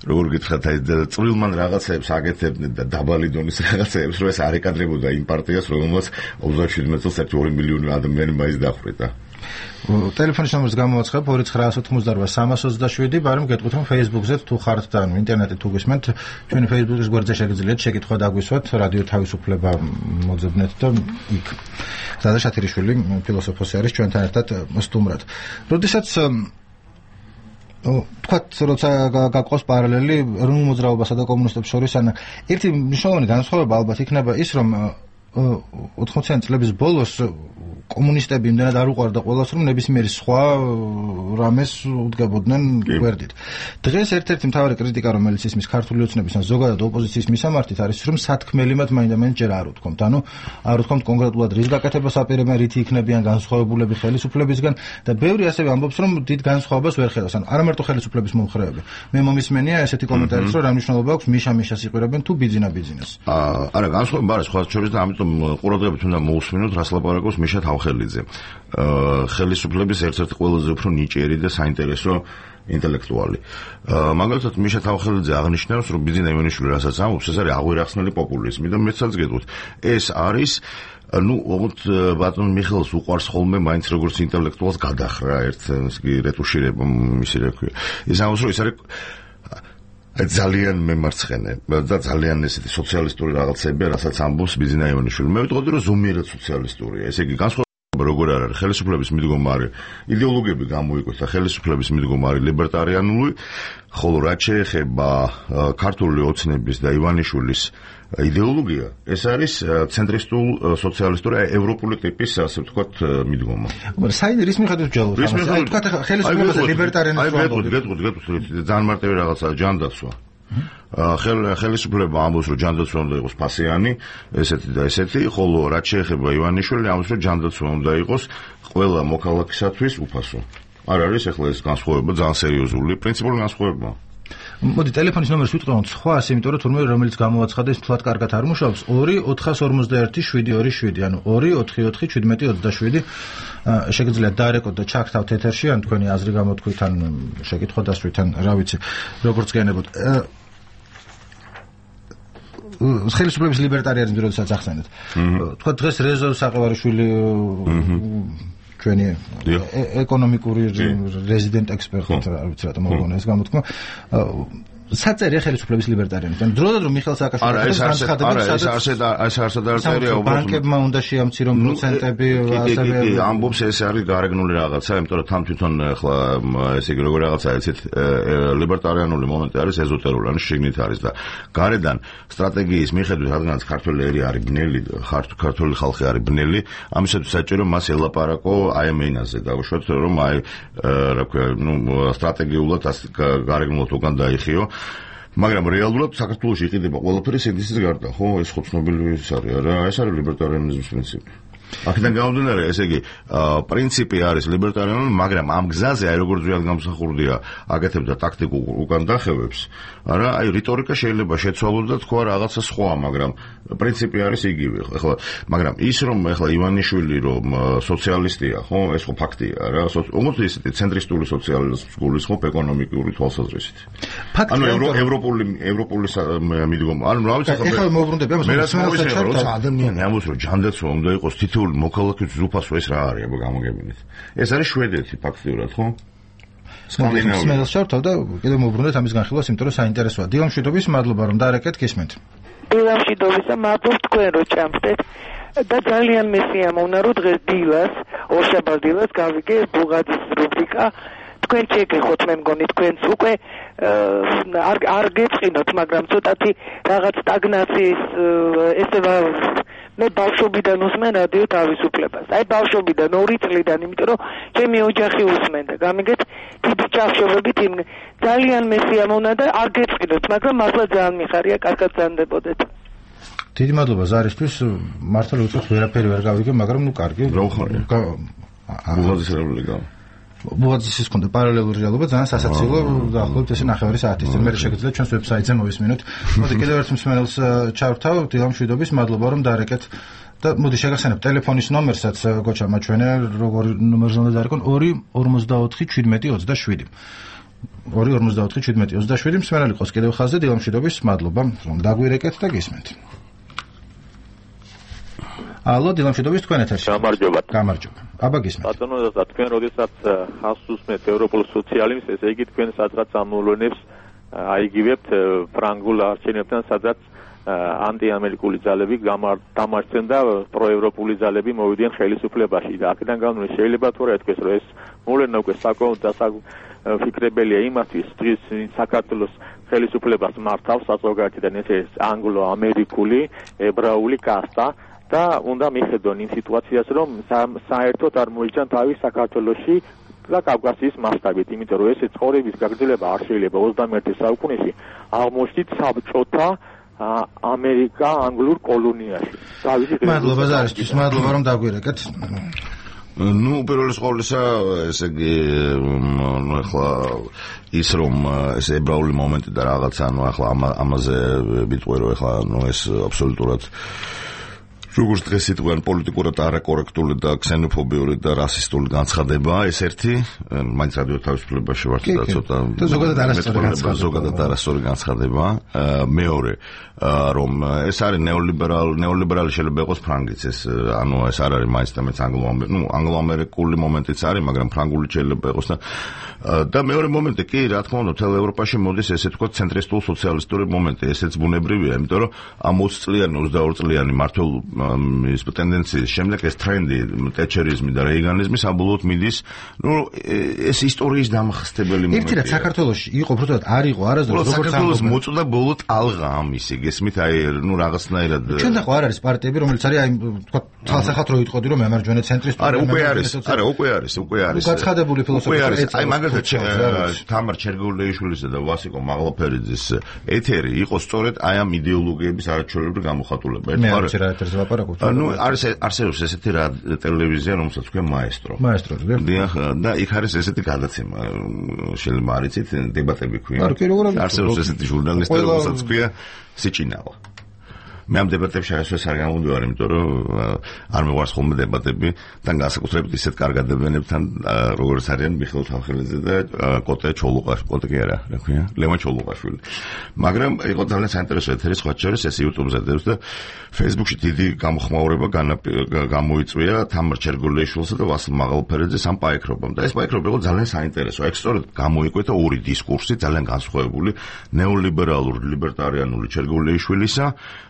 როგორ გითხრათ, აი წვრილმან რაღაცებს აკეთებდნენ და დაბალი დონის რაღაცებს, რომ ეს არ ეკადრებოდა იმ პარტიას, რომელმაც 27 წელს 1-2 მილიონი ადამიანი მაინც დახვრიტა. ტელეფონის ნომერს გამოვაცხებ 2988-327, ბარემ გეტყვით რომ Facebook-ზე თუ ხართ და ინტერნეტით თუ გისმენთ, ჩვენი Facebook-ის გვერდზე შეგიძლიათ შეკითხვა დაგვისვათ, რადიო თავისუფლება მოძებნეთ და იქ. ზაზა შათერიშვილი ფილოსოფოსი არის ჩვენთან ერთად სტუმრად. როდესაც თქვათ, როცა გაყავს პარალელი ეროვნულ მოძრაობასა და კომუნისტებს შორის, ან ერთი მნიშვნელოვანი განსხვავება ალბათ იქნება ის, რომ 80-იან წლების ბოლოს კომუნისტები იმდენად არ უყვარდა ყველას, რომ ნებისმიერი სხვა რამეს უდგებოდნენ გვერდით. დღეს ერთ-ერთი მთავარი კრიტიკა, რომელიც ისმის ქართული ოცნების ან ზოგადად ოპოზიციის მისამართით არის, რომ სათქმელი მათ მაინდა-მაინც ჯერ არ უთქვამთ. ანუ არ უთქვამთ კონკრეტულად რის გაკეთებას აპირებენ, რითი იქნებიან განსხვავებულები ხელისუფლებისგან და ბევრი ასევე ამბობს, რომ დიდ განსხვავებას ვერ ხედავს. ანუ არა მარტო ხელისუფლების მომხრეები. მე მომისმენია ესეთი კომენტარიც, რომ რა მნიშვნელობა აქვს მიშა-მიშას იყურებენ თუ ბიძინა-ბიძინას. არა, განსხვავება არის სხვა შორის და ამიტომ ყურადღებით უნდა მოусმინოთ, რას ლაპარაკობს მიშა თავხელიძე. ხელისუფლების ერთ-ერთი ყველაზე უფრო ნიჭიერი და საინტერესო ინტელექტუალი. მაგალითად მიშა თავხელიძე აღნიშნავს, რომ ბიძინა ივანიშვილი რასაც ამბობს, ეს არის აღვირახსნელი პოპულიზმი და მეცაც გეტყვით. ეს არის ну, вот ბატონ მიხელს უყვარს ხოლმე მაინც როგორც ინტელექტუალს გადახრა ერთ რეტუშირება მისი რა ქვია. ის ამბობს, რომ ეს არის ძალიან მემარცხენე და ძალიან ესეთი სოციალისტური რაღაცები, რასაც ამბობს ბიძინა ივანიშვილი. მე ვიტყოდი, რომ ზომიერად სოციალისტურია. ესე იგი განსხვავება როგორ არის ხელისუფლების მიდგომარი იდეოლოგიები გამოიკვეთა, ხელისუფლების მიდგომარი ლიბერტარიანული, ხოლო რაც შეეხება ქართული ოცნების და ივანიშვილის იდეოლოგია, ეს არის ცენტრისტულ სოციალისტური ევროპული ტიპის, ასე ვთქვათ, მიდგომა. საერთოდ რის მიხედვით ჯალოს? აი თქვათ ხელისუფლებას და ლიბერტარიანებს გეტყვით, ძალიან მარტივი რაღაცაა, ჯანდაცვა. ხელისუფლება ამბობს, რომ ჯანდაცვა უნდა იყოს ფასიანი, ესეთი და ესეთი, ხოლო რაც შეეხება ივანიშვილი, ამბობს, რომ ჯანდაცვა უნდა იყოს ყველა მოქალაქისათვის უფასო. არ არის ახლა ეს განსხვავება ძალიან სერიოზული, პრინციპული განსხვავება. მოდი ტელეფონის ნომერს ვიტყვით სხვას, იმიტომ რომ თურმე რომელიც გამოვაცხადა ის თლად კარგად არ მუშაობს 2-451-727, ანუ 2-4-4-17-27. შეგიძლიათ დაარეკოთ და ჩაგთავთ ეთერში, ან თქვენი აზრი გამოთქვით, ან შეკითხვა დასვით, ან რა ვიცი, როგორც გენებოთ. ხელისუფლების ლიბერტარიანიზმი როდესაც ახსენეთ. თქვა დღეს რეზო საყევარიშვილი ჩვენი ეკონომიკური რეზიდენტ ექსპერტი, რა ვიცი რატომ მოგონა ეს გამოთქმა. საწერია ხელისუფლების ლიბერტარიანებთან. დროდადრო რომ მიხეილ სააკაშვილის ეს არსად ბანკებმა უნდა შეამცირონ პროცენტები, ასევე ამბობს ეს არის გარეგნული რაღაცა, იმიტომ რომ თან თვითონ ახლა ესე იგი როგორ რაღაცა ეცეთ ლიბერტარიანული მომენტი არის ეზოტერული, ანუ შიგნით არის და გარედან სტრატეგიის მიხედვით რადგანაც ქართველი ერი არის ბნელი, ქართული ხალხი არის ბნელი, ამისათვის საჭირო მას ელაპარაკო აი ამ ენაზე დაუშვათ, რომ აი რა ქვია, სტრატეგიულად გარეგნულად უკან დაიხიო. მაგრამ რეალურად საქართველოში იყიდება ყველაფერი სინდისის გარდა, ხო? ეს ხო ცნობილი არის არა? ეს არის ლიბერტარიანიზმის პრინციპი. აქედან გამომდინარე, ესე იგი, პრინციპი არის ლიბერტარიანული, მაგრამ ამ გზაზე, აი როგორც ვიად გამოსახურდია, აკეთებდა ტაქტიკულ უკან დახევებს, არა, აი რიტორიკა შეიძლება შეცვალოს და თქვა რაღაცა სხვა, მაგრამ პრინციპი არის იგივე, ხო? მაგრამ ის რომ ახლა ივანიშვილი რომ სოციალისტია, ხო? ეს ხო ფაქტია, რა, უმოწ ისეთი ცენტრისტული სოციალიზმის ხო ეკონომიკური თვალსაზრისით. ანუ ევროპული მიდგომა, ანუ რა ვიცი, ახლა მოვბრუნდები ამას, ადამიანი ამბობს რომ ჯანდაცვა უნდა იყოს თითოეული მოქალაქის უფასო ეს რა არის, აბა გამოგებინეთ. ეს არის შვედეთი ფაქტიურად, ხო? სკანდინავია. სმელს შევთავ და კიდევ მოვბრუნდეთ ამის განხილვას, იმიტომ რომ საინტერესოა. დილამშვიდობის მადლობა რომ დაარეკეთ, გისმენთ. დილამშვიდობისა, მადლობთ თქვენ რომ ჭამთ და ძალიან მესიამოვნა რომ დღეს დილას, ორშაბათს დილას გავიგე ბუღაძის რუბრიკა. თქვენ შეგეხოთ, მე მგონი თქვენც უკვე არ გეწყინოთ, მაგრამ ცოტათი რაღაც სტაგნაციის ესევა მე ბავშვობიდან უსმენ რადიო თავისუფლებას. აი ბავშვობიდან 2 წლიდან, იმიტომ რომ ჩემი ოჯახი უსმენდა. გამიგეთ, დიდი ჭახშობებით იმ ძალიან მესიამოვნა და არ გეწყინოთ, მაგრამ მართლა ძალიან მიხარია, კარგად ზანდებოდეთ. დიდი მადლობა ზარისთვის, მართლა უცებ ვერაფერი ვერ გავიგე, მაგრამ ნუ კარგი. რა ხარია? ბუღაძის რეპუბლიკა. ბუღაძის ჰქონდა პარალელური რეალობა, ძალიან სასაცილო, დაახლოებით ესე 9 საათის წინ. მე შეგიძლიათ ჩვენს ვებსაიტზე მოვისმინოთ. მოდი კიდევ ერთ მსმენელს ჩავრთავ, დილამშვიდობის, მადლობა რომ დაარეკეთ და მოდი შეგახსენებ ტელეფონის ნომერსაც გოჩა მაჩვენე, როგორი ნომერზე უნდა დაარეკონ 2 54 17 27 მსმენელი ყავს კიდევ ხაზზე, დილამშვიდობის, მადლობა რომ დაგვირეკეთ და გისმენთ. ალო, დილამშვიდობის, თქვენ ეთერში. გამარჯობა. აბა გისმენთ. ბატონო და თქვენ როდესაც ხას უსმენთ ევროპულ სოციალიზმს, ესე იგი თქვენ სადღაც ამოვლენებს აიგივებთ ფრანგულ არჩევნებთან, სადაც ანტიამერიკული ძალები დამარცხდნენ და პროევროპული ძალები მოვიდნენ ხელისუფლებაში და აქედან გამომდინარე შეიძლება თუ რა ეთქვეს, რომ ეს მოვლენა უკვე საკმაოდ დასაფიქრებელია იმისთვის, დღეს საქართველოს ხელისუფლებას მართავს საზოგადოებიდან ეს ანგლო-ამერიკული ებრაული კასტა და უნდა მიხედონ იმ სიტუაციას, რომ საერთოდ არ მოიჭრან თავის საქართველოში და კავკასიის მასშტაბით, იმიტომ რომ ეს ცხოვრების გაგრძელება არ შეიძლება 21 საუკუნეში აღმოჩნდით საბჭოთა ამერიკა ანგლურ კოლონიაში. მადლობა ზარისთვის, მადლობა რომ დაგვირეკეთ. ნუ პირველ ყოვლისა, ესე იგი, ახლა ის რომ ეს ებრაული მომენტი და რაღაცა, ანუ ახლა ამაზე ვიტყვი რომ ახლა ეს აბსოლუტურად როგორც დღეს იტყვიან პოლიტიკურად არაკორექტული და ქსენოფობიური და რასისტული განცხადებაა ეს ერთი, მაინც რადიო თავისუფლებაში ვართ და ცოტა ზოგადად არასწორი განცხადებაა. მეორე, რომ ეს არის ნეოლიბერალი შეიძლება იყოს ფრანგიც, ეს ანუ ეს არ არის მაინც და მეც ანგლო-ამერიკული მომენტიც არის, მაგრამ ფრანგული შეიძლება იყოს და მეორე მომენტი კი, რა თქმა უნდა, მთელ ევროპაში მოდის ესე თქვა ცენტრისტულ სოციალისტური მომენტი, ესეც ბუნებრივია, იმიტომ რომ ამ 20 წლიანი, 22 წლიანი მართულ ის ტენდენციის შემდეგ ეს ტრენდი ტეჩერიზმი და რეიგანიზმი საბოლოოდ მიდის, ნუ ეს ისტორიის დამახსტებელი მომენტია. ერთი რაც საქართველოში იყო, უბრალოდ არ იყო არასდროს როგორც საქართველოს მოწოდა ბოლო ტალღა ამისი, გესმით, აი ნუ რაღაცნაირად ჩვენთან ხო არ არის პარტიები, რომელიც არის აი თქვა თალსახად რო იტყოდი რომ მემარჯვენე ცენტრისტული. არა, უკვე არის. გაცხადებული ფილოსოფია. აი მაგალითად თამარ ჩერგევლეიშვილისა და ვასიკო მაღლაფერიძის ეთერი იყო სწორედ აი ამ იდეოლოგიების არაჩვეულებრივი გამოხატულება. ანუ არსებობს ესეთი რა ტელევიზია, რომელსაც ქვია მაესტრო. დიახ, და იქ არის ესეთი გადაცემა, შეიძლება არ იცით, დებატები ქვია. არსებობს ესეთი ჟურნალისტი, რომელსაც ქვია სიჭინავა. მე ამ დებატებში აღესვეს არ გამომდივარ, იმიტომ რომ არ მეყვარს ხოლმე დებატები და განსაკუთრებით ისეთ კარგ ადამიანებთან, როგორც არიან მიხეილ თამხელაძე და კოტე ჩოლუყაშვილი, კოტე კი არა, რა ქვია, ლევან ჩოლუყაშვილი. მაგრამ იყო ძალიან საინტერესო ეთერი სხვა შორის, ეს YouTube-ზე დევს და Facebook-ში დიდი გამოხმაურება გამოიწვია თამარ ჩერგოლეიშვილსა და ვასილ მაღალფერაძეს ამ პაექრობამ და ეს პაექრობა იყო ძალიან საინტერესო. ეგ სწორედ გამოიკვეთა ორი დისკურსი, ძალიან განსხვავებული, ნეოლიბერალური, ლიბერტარიანული ჩერგოლეიშვილისა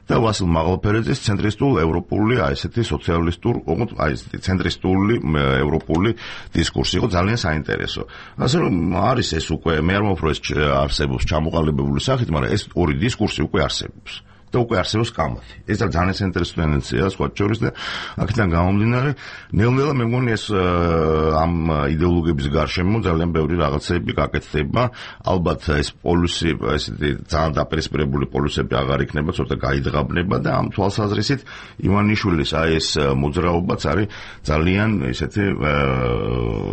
და ვასილ მაღალფერაძის ცენტრისტულ ევროპული, აი ესეთი სოციალისტურ, ოღონდ აი ესეთი ცენტრისტული ევროპული დისკურსი იყო ძალიან საინტერესო. ასე რომ არის ეს უკვე მე არ მომფრო ეს არსებობს ჩამოყალიბებული სახით, მაგრამ ეს ორი დისკურსი უკვე არსებობს. და უკვე არსებობს კამათი. ეს ძალიან საინტერესო ტენდენციაა სხვა შორის და აქედან გამომდინარე, ნელ-ნელა მე მგონი ეს ამ იდეოლოგიების გარშემო ძალიან ბევრი რაღაცები გაკეთდება. ალბათ ეს პოლუსი, ესეთი ძალიან დაპირისპირებული პოლუსები აღარ იქნება, ცოტა გაიძღაბნება და ამ თვალსაზრისით ივანიშვილის აი ეს მოძრაობაც არის ძალიან ესეთი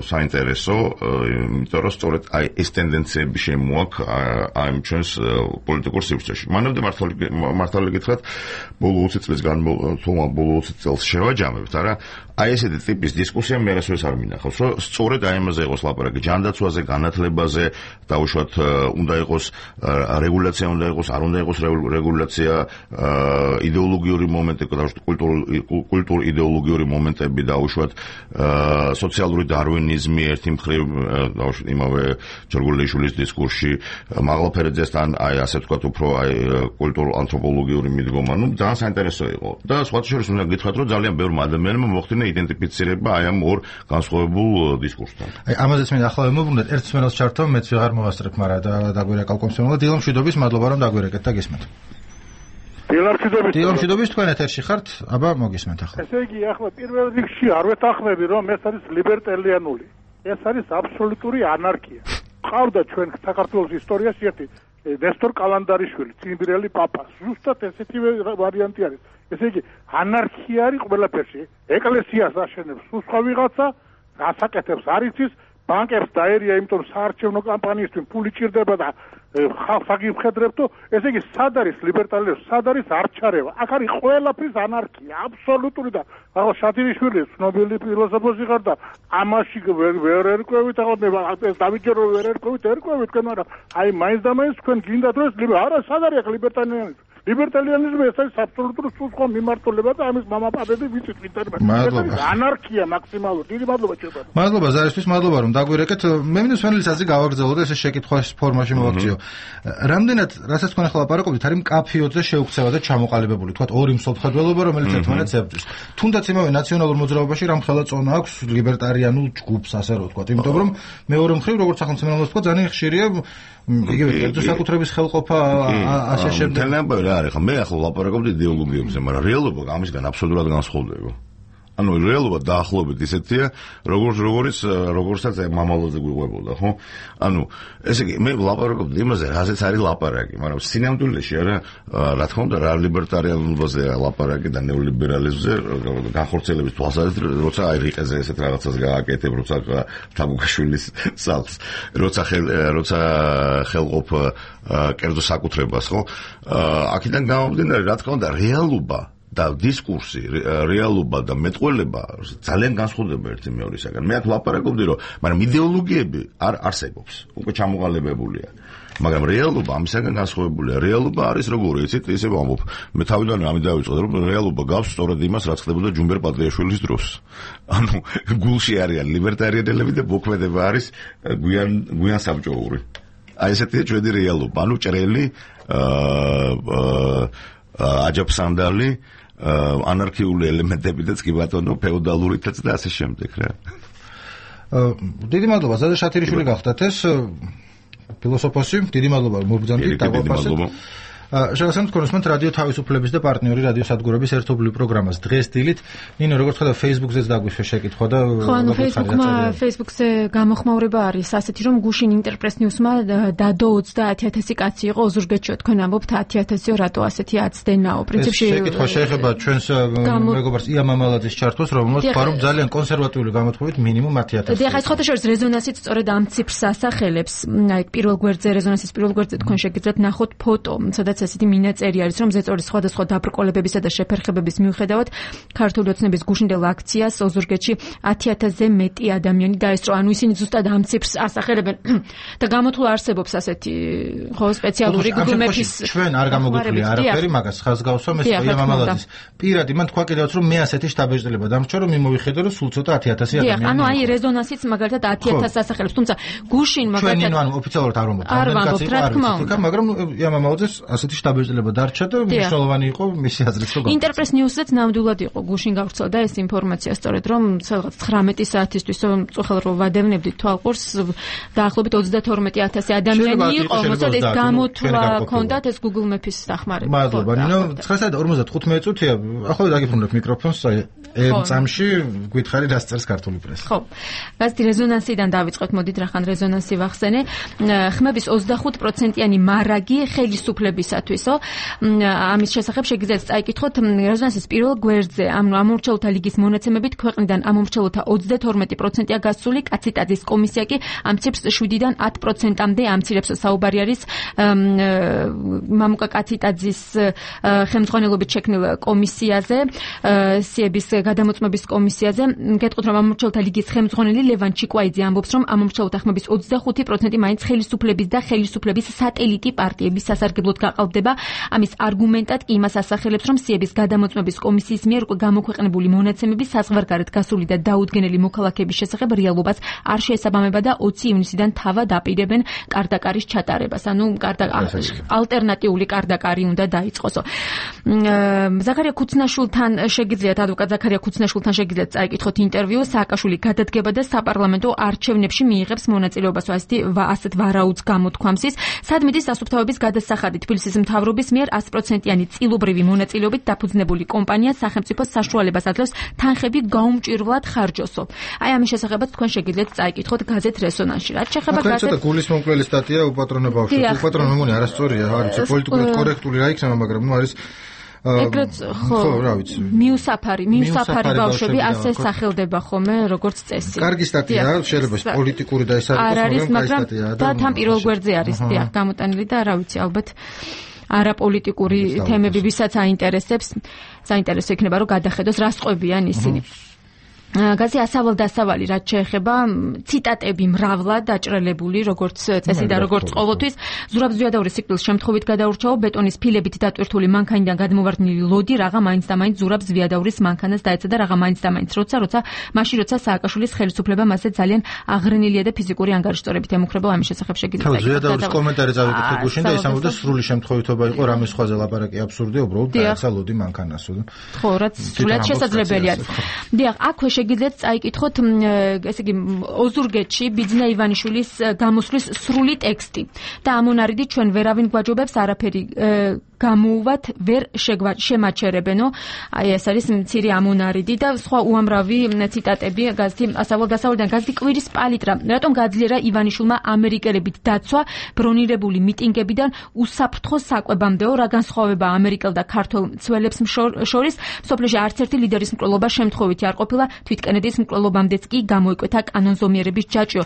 საინტერესო, იმიტომ რომ სწორედ აი ეს ტენდენციები შემოაქვს აი ჩვენს პოლიტიკურ სივრცეში. მანამდე მართალი გითხრათ, ბოლო 20 წლის ბოლო 20 წელს შევაჯამებთ, არა? აი ესეთი ტიპის დისკუსია მე რასვეს არ მინახავს, რომ სწორედ აი ამაზე იყოს ლაპარაკი, ჯანდაცვაზე, განათლებაზე, დაუშვათ უნდა იყოს რეგულაცია, უნდა იყოს, არ უნდა იყოს რეგულაცია, იდეოლოგიური მომენტები, დაუშვათ კულტურ იდეოლოგიური მომენტები, დაუშვათ სოციალური დარვინიზმი ერთი მხრივ, დაუშვათ იმავე ჩერგოლეიშვილის დისკურსში, მაღალფერაძესთან აი ასე ვთქვათ, უფრო აი კულტურულ ანთროპოლოგიური მიდგომა, ну, ძალიან საინტერესო იყო. და სხვა შორის უნდა გითხრათ, რომ ძალიან ბევრმა ადამიანმა მოხდინა იდენტიფიცირება აი ამ ორ განსხვავებულ დისკურსთან. აი ამაზეც მე ახლა მოვუბრუნდეთ, ერთ სმენელს ჩართო, მეც ვეღარ მოვასწრებ, მაგრამ დაგვირეკავ კომსომოლა. დილო მშვიდობის, მადლობა რომ დაგვირეკეთ და გისმენთ. დილო მშვიდობის, თქვენ ეთერში ხართ? აბა მოგისმენთ ახლა. ესე იგი, ახლა პირველ რიგში არ ვეთანხმები, რომ ეს არის ლიბერტარიანული. ეს არის აბსოლუტური ანარქია. ყავდა ჩვენ საქართველოს ისტორიაში ერთი ნესტორ კალანდარიშვილი, ციმბირელი პაპა. ზუსტად ესეთი ვარიანტი არის. ესე იგი, ანარქია არის ყველაფერში. ეკლესიას აშენებს სხვა ვიღაცა, გასაკეთებს არ იცის, ბანკებს დაერია, იმიტომ საარჩევნო კამპანიისთვის ფული ჭირდება და ხალხს აგიფხედრებთო. ესე იგი, სად არის ლიბერტარიანიზმი, სად არის არჩარევა? აქ არის ყველაფრის ანარქია, აბსოლუტური და ახლა შადინიშვილი ცნობილი ფილოსოფოსი ხარ და ამაში ვერ ერკვევით, ახლა ეს დავიჯერო ვერ ერკვევით, მაგრამ აი მაინც და მაინც თქვენ გინდათ რომ არა, სად არის აქ ლიბერტარიანიზმი? ლიბერტარიანიზმი ეს არის აბსოლუტური სულსხმა მიმართულება და ამის მამაპაპები ვიცით ვინტერნეტ. ანარქია მაქსიმალური. დიდი მადლობა ჩემო. მადლობა ზარისთვის, მადლობა რომ დაგვირეკეთ. მე მინდა სვენელის აზრი გავაგრძელო და ეს შეკითხვის ფორმაში მოვაქციო. რამდენად, რასაც თქვენ ახლა ლაპარაკობთ, არის მკაფიოზე შეუქცევა და ჩამოყალიბებული, თქვათ ორი მსოფლმხედველობა, რომელიც ერთმანეთს ებრძვის. თუნდაც იმავე ნაციონალურ მოძრაობაში რამხელა წონა აქვს ლიბერტარიანულ ჯგუფს, ასე რომ ვთქვათ, იმიტომ რომ მეორე მხრივ, როგორც სახელმწიფოს თქვა, ძალიან ხშირია იგივე კერძო საკუთრების ხელყოფა ასე შემდეგ. არის ხა მე ახლა ლაპარაკობდი იდეოლოგიებზე, მაგრამ რეალობა ამისგან აბსოლუტურად განსხვავდება. ანუ რეალობა დაახლოებით ისეთია, როგორცაც მამალოზე გვიყვებოდა, ხო? ანუ ესე იგი მე ლაპარაკობდი იმაზე, რაზეც არის ლაპარაკი, მაგრამ სინამდვილეში არა, რა თქმა უნდა, რა ლიბერტარიანობაზე ლაპარაკი და ნეოლიბერალიზმზე განხორციელების თვალსაზრისით, როცა აი რიყეზე ესეთ რაღაცას გააკეთებ, როცა თაბუკაშვილის სახლს, როცა ხელყოფ კერძო საკუთრებას, ხო? აქედან გამომდინარე, რა თქმა უნდა, რეალობა და დისკურსი, რეალობა და მეტყველება ძალიან განსხვავდება ერთი მეორისაგან. მე აქ ლაპარაკობდი, რომ მაგრამ იდეოლოგიები არ არსებობს, უკვე ჩამოყალიბებულია. მაგრამ რეალობა ამისაგან განსხვავებულია. რეალობა არის როგორი, იცით, ისე ვამბობ. მე თავიდან ამით დავიწყე, რომ რეალობა გავს სწორედ იმას, რაც ხდებოდა ჯუმბერ პატრიაშვილის დროს. ანუ გულში არიან ლიბერტარიანელები და მოქმედება არის გვიან საბჭოური. აი ესეთია ჩვენი რეალობა. ანუ ჭრელი, აჯაფსანდალი, ანარქიული ელემენტებითაც კი ბატონო, ფეოდალურითაც და ასე შემდეგ რა. დიდი მადლობა, ზადა შათირიშვილი გახდათ ეს ფილოსოფოსი. დიდი მადლობა რომ მოგბრძანდით დაგვაფასეთ. შეგახსენებთ კონსმენტ რადიო თავისუფლების და პარტნიორი რადიო სადგურების ერთობლივ პროგრამას დღეს დილით. ნინო, როგორც ხედავ, Facebook-ზეც დაგვიშვე შეკითხვა და ხო, ანუ Facebook-ზე გამოხმაურება არის ასეთი, რომ გუშინ ინტერპრეს ნიუსმა დადო 30000 კაცი იყო ოზურგეთში, თქვენ ამბობთ 10000-ო, რატო ასეთი აცდენაო? პრინციპში შეკითხვა შეეხება ჩვენს მეგობარს ია მამალაძის ჩართვას, რომელმაც თქვა, რომ ძალიან კონსერვატიული გამოთქვით მინიმუმ 10000. დიახ, ეს ხოთაშორის რეზონანსიც სწორედ ამ ციფრს ასახელებს. აი პირველ გვერდზე, რეზონანსის პირველ გვერდზე თქვენ შეგიძლიათ ნახოთ ფოტო, სადაც სადაც ესეთი მინაწერი არის, რომ ზეწოლის სხვადასხვა დაბრკოლებებისა და შეფერხებების მიუხედავად ქართული ოცნების გუშინდელ აქციას ოზურგეთში 10,000-ზე მეტი ადამიანი დაესწრო. ანუ ისინი ზუსტად ამ ციფრს ასახელებენ და გამოთვლა არსებობს ასეთი ხო სპეციალური Google Maps-ის ჩვენ არ გამოგვიყვია არაფერი, მაგას ხაზგავსო მე იამამალაძის პირადი მან თქვა კიდევაც რომ მე ასეთი შტაბეჭდილება დამრჩა რომ მიმოვიხედო რომ სულ ცოტა 10,000 ადამიანი. ანუ აი რეზონანსიც მაგალითად 10,000 ასახელებს, თუმცა გუშინ მაგალითად ჩვენ ანუ ოფიციალურად არ ვამბობთ, მაგრამ იამამალაძეს ასეთი შტაბეჭდილება დარჩა და მნიშვნელოვანი იყო მისი აზრით რომ Interpress News-იც ნამდვილად იყო გუშინ გავრცელდა ეს ინფორმაცია სწორედ რომ რაღაც 19 საათისთვის წუხელ რო ვადევნებდით თვალყურს დაახლოებით 32,000 ადამიანი იყო, მოკლედ ეს გამოთვლა ჰქონდათ ეს Google Maps-ის დახმარება. მადლობა. ნინო 9:55 წუთია. ახლა დაგიფრინდებ მიკროფონს, წამში გითხარი რას წერს ქართული პრესი. ხო. გაზეთი რეზონანსიდან დავიწყოთ, მოდით რახან რეზონანსი ვახსენე. ხმების 25%-იანი მარაგი ხელისუფლებისათვისო. ამის შესახებ შეგიძლიათ წაიკითხოთ რეზონანსის პირველ გვერდზე. ამომრჩევლთა ლიგის მონაცემებით ქვეყნიდან ამომრჩევლთა 32%-ია გასული, კაციტაძის კომისია კი ამ ციფრს 7-დან 10%-მდე ამცირებს. საუბარი არის მამუკა კაციტაძის ხელმძღვანელობით შექმნილ კომისიაზე, სიების გადამოწმების კომისიაზე. გეტყვით რომ ამომრჩევლთა ლიგის ხელმძღვანელი ლევან ჩიკვაიძე ამბობს, რომ ამომრჩევლთა ხმების 25% მაინც ხელისუფლების და ხელისუფლების სატელიტი პარტიების სასარგებლოდ გაყალბდება. ამის არგუმენტად კი იმას ასახელებს, რომ სიების გადამოწმების კომისიის მიერ გამოქვეყნებული მონაცემები საზღვარგარეთ გასული და დაუდგენელი მოქალაქეების შესახებ რეალობას არ შეესაბამება და 20 ივნისიდან თავად აპირებენ კარდაკარის ჩატარებას. ანუ ალტერნატიული კარდაკარი უნდა დაიწყოსო. ზაქარია ქუცნაშვილთან შეგიძლიათ ადვოკატ ზაქარია ქუცნაშვილთან შეგიძლიათ წაიკითხოთ ინტერვიუ. სააკაშვილი გადადგება და საპარლამენტო არჩევნებში მიიღებს მონაწილეობას ასეთ ვარაუდს გამოთქვამსის. სადმიდის სასუფთავების გადასახადი თბილისის მთავრობის მიერ 100%-იანი წილობრივი მონაწილეობით დაფუძნებული კომპანია სახელმწიფოს საშუალებას აძლევს თანხები გაუმჭირვლად ხარჯოსო. აი ამის შესახებაც თქვენ შეგიძლიათ წაიკითხოთ გაზეთ რესონანსში. რაც შეეხება გაზეთ ცოტა გულისმომკლელი სტატია უპატრონო ბავშვი. უპატრონო მეგონი არასწორია, არის პოლიტიკურად კორექტული რა იქნება, მაგრამ ნუ არის ეგრეთ ხო რა ვიცი. მიუსაფარი ბავშვები ასე სახელდება ხოლმე როგორც წესი. კარგი სტატიაა, შეიძლება პოლიტიკური და ეს არის სტატია და თან პირველ გვერდზე არის დიახ გამოტანილი და რა ვიცი ალბათ არაპოლიტიკური თემები ვისაც აინტერესებს, საინტერესო იქნება რომ გადახედოს რა სწყვებიან ისინი. გაზი ასავალ-დასავალი რაც შეეხება ციტატები მრავლად დაჭრელებული როგორც წესი და როგორც ყოველთვის ზურაბ ზვიადაურის სიკვდილის შემთხვევით გადაურჩაო ბეტონის ფილებით დატვირთული მანქანიდან გადმოვარდნილი ლოდი რაღა მაინც და მაინც ზურაბ ზვიადაურის მანქანას დაეცა და რაღა მაინც და მაინც როცა სააკაშვილის ხელისუფლება მასზე ძალიან აღრენილია და ფიზიკური ანგარიშტორებით ემუქრებო ამის შესახებ შეგიძლიათ ზვიადაურის კომენტარი წავიკითხე გუშინ და ის ამბობდა სრული შემთხვევითობა იყო რამის სხვაზე ლაპარაკი აბსურდია უბრალოდ დაეცა ლოდი მანქანასო ხო რაც სრულად შესაძლებელი არის დიახ აქვე შეგიძლიათ წაიკითხოთ ესე იგი ოზურგეთში ბიძინა ივანიშვილის გამოსვლის სრული ტექსტი და ამონარიდი ჩვენ ვერავინ გვაჯობებს არაფერი გამოუვათ ვერ შემაჩერებენო აი ეს არის მცირე ამონარიდი და სხვა უამრავი ციტატები გაზეთი ასავალ-დასავლიდან გაზეთი კვირის პალიტრა რატომ გაძლიერა ივანიშვილმა ამერიკელებით დაცვა ბრონირებული მიტინგებიდან უსაფრთხო საკვებამდეო რა განსხვავება ამერიკელ და ქართულ მცველებს შორის სოფლიოში არც ერთი ლიდერის მკვლელობა შემთხვევითი არ ყოფილა თვით კენედის მკვლელობამდეც კი გამოიკვეთა კანონზომიერების ჯაჭვო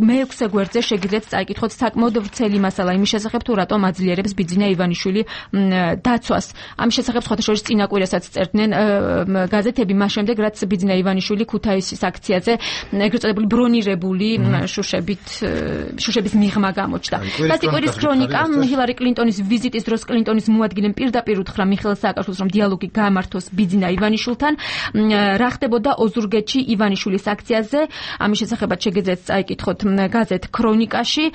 მე-6 გვერდზე შეგიძლიათ წაიკითხოთ საკმაოდ ვრცელი მასალა იმის შესახებ თუ რატომ აძლიერებს ბიძინა ივანიშვილი დაცვას. ამის შესახებ სხვათა შორის წინა კვირასაც წერდნენ გაზეთები მას შემდეგ რაც ბიძინა ივანიშვილი ქუთაისის აქციაზე ეგრეთ წოდებული ბრონირებული შუშების მიღმა გამოჩნდა. გაზეთი კვირის ქრონიკა ჰილარი კლინტონის ვიზიტის დროს კლინტონის მოადგილემ პირდაპირ უთხრა მიხეილ სააკაშვილს რომ დიალოგი გამართოს ბიძინა ივანიშვილთან. რა ხდებოდა ოზურგეთში ივანიშვილის აქციაზე ამის შესახებაც შეგიძლიათ წაიკითხოთ გაზეთ ქრონიკაში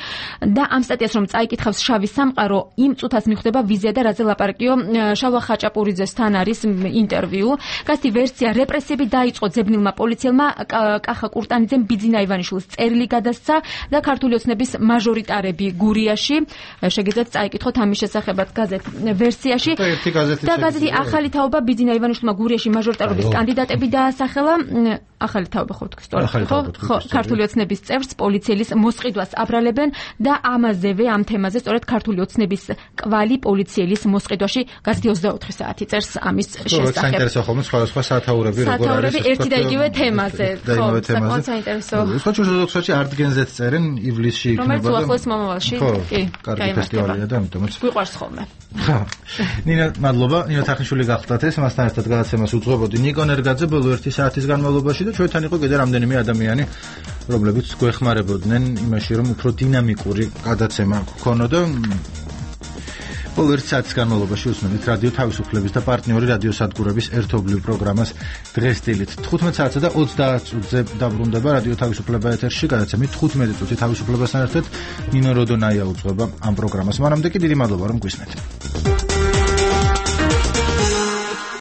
და ამ სტატიას რომ წაიკითხავს შავი სამყარო იმ წუთას მიხვდება ვიზია და რაზე ლაპარაკიო შალვა ხაჭაპურიძესთან არის ინტერვიუ. გაზეთი ვერსია რეპრესიები დაიწყო ძებნილმა პოლიციელმა კახა კურტანიძემ ბიძინა ივანიშვილს წერილი გადასცა და ქართული ოცნების მაჟორიტარები გურიაში შეგიძლიათ წაიკითხოთ ამის შესახებაც გაზეთ ვერსიაში და გაზეთი ახალი თაობა ბიძინა ივანიშვილმა გურიაში მაჟორიტარობის კანდიდატები დაასახელა ახალი თაობა ხო თქვი სწორად ხო ქართული ოცნების წევრს პოლიციელის მოსყიდვას აბრალებენ და ამაზევე ამ თემაზე სწორედ ქართული ოცნების კვალი პოლიცია ოფიციალის მოსყიდვაში გაზეთი 24 საათი წერს ამის შესახებ. საინტერესო ხოლმე სხვა საათაურები როგორ არის ერთი და იგივე თემაზე. ხო, საკმაოდ საინტერესო. სპორტში არტგენზეც წერენ ივლისში იქნება. რომელიც უახლოეს მომავალში. კი, კარგი ფესტივალია და ამიტომაც გვიყვარს ხოლმე. ნინა, მადლობა. ნინა თახნიშვილი გახდათ ეს, მასთან ერთად გადაცემას უძღვებოდი ნიკონ ერგაძე ბოლო 1 საათის განმავლობაში და ჩვენთან იყო კიდე რამდენიმე ადამიანი, რომლებიც გვეხმარებოდნენ იმაში, რომ უფრო დინამიკური გადაცემა გქონოდა. ბოლო 1 საათის განმავლობაში უსმენთ რადიო თავისუფლების და პარტნიორი რადიოსადგურების ერთობლივ პროგრამას დღეს დილით 15 საათსა და 30 წუთზე დაბრუნდება რადიო თავისუფლება ეთერში გადაცემით 15 წუთი თავისუფლებასთან ერთად ნინო როდონაია უძღვება ამ პროგრამას. მანამდე კი დიდი მადლობა რომ გვისმენთ.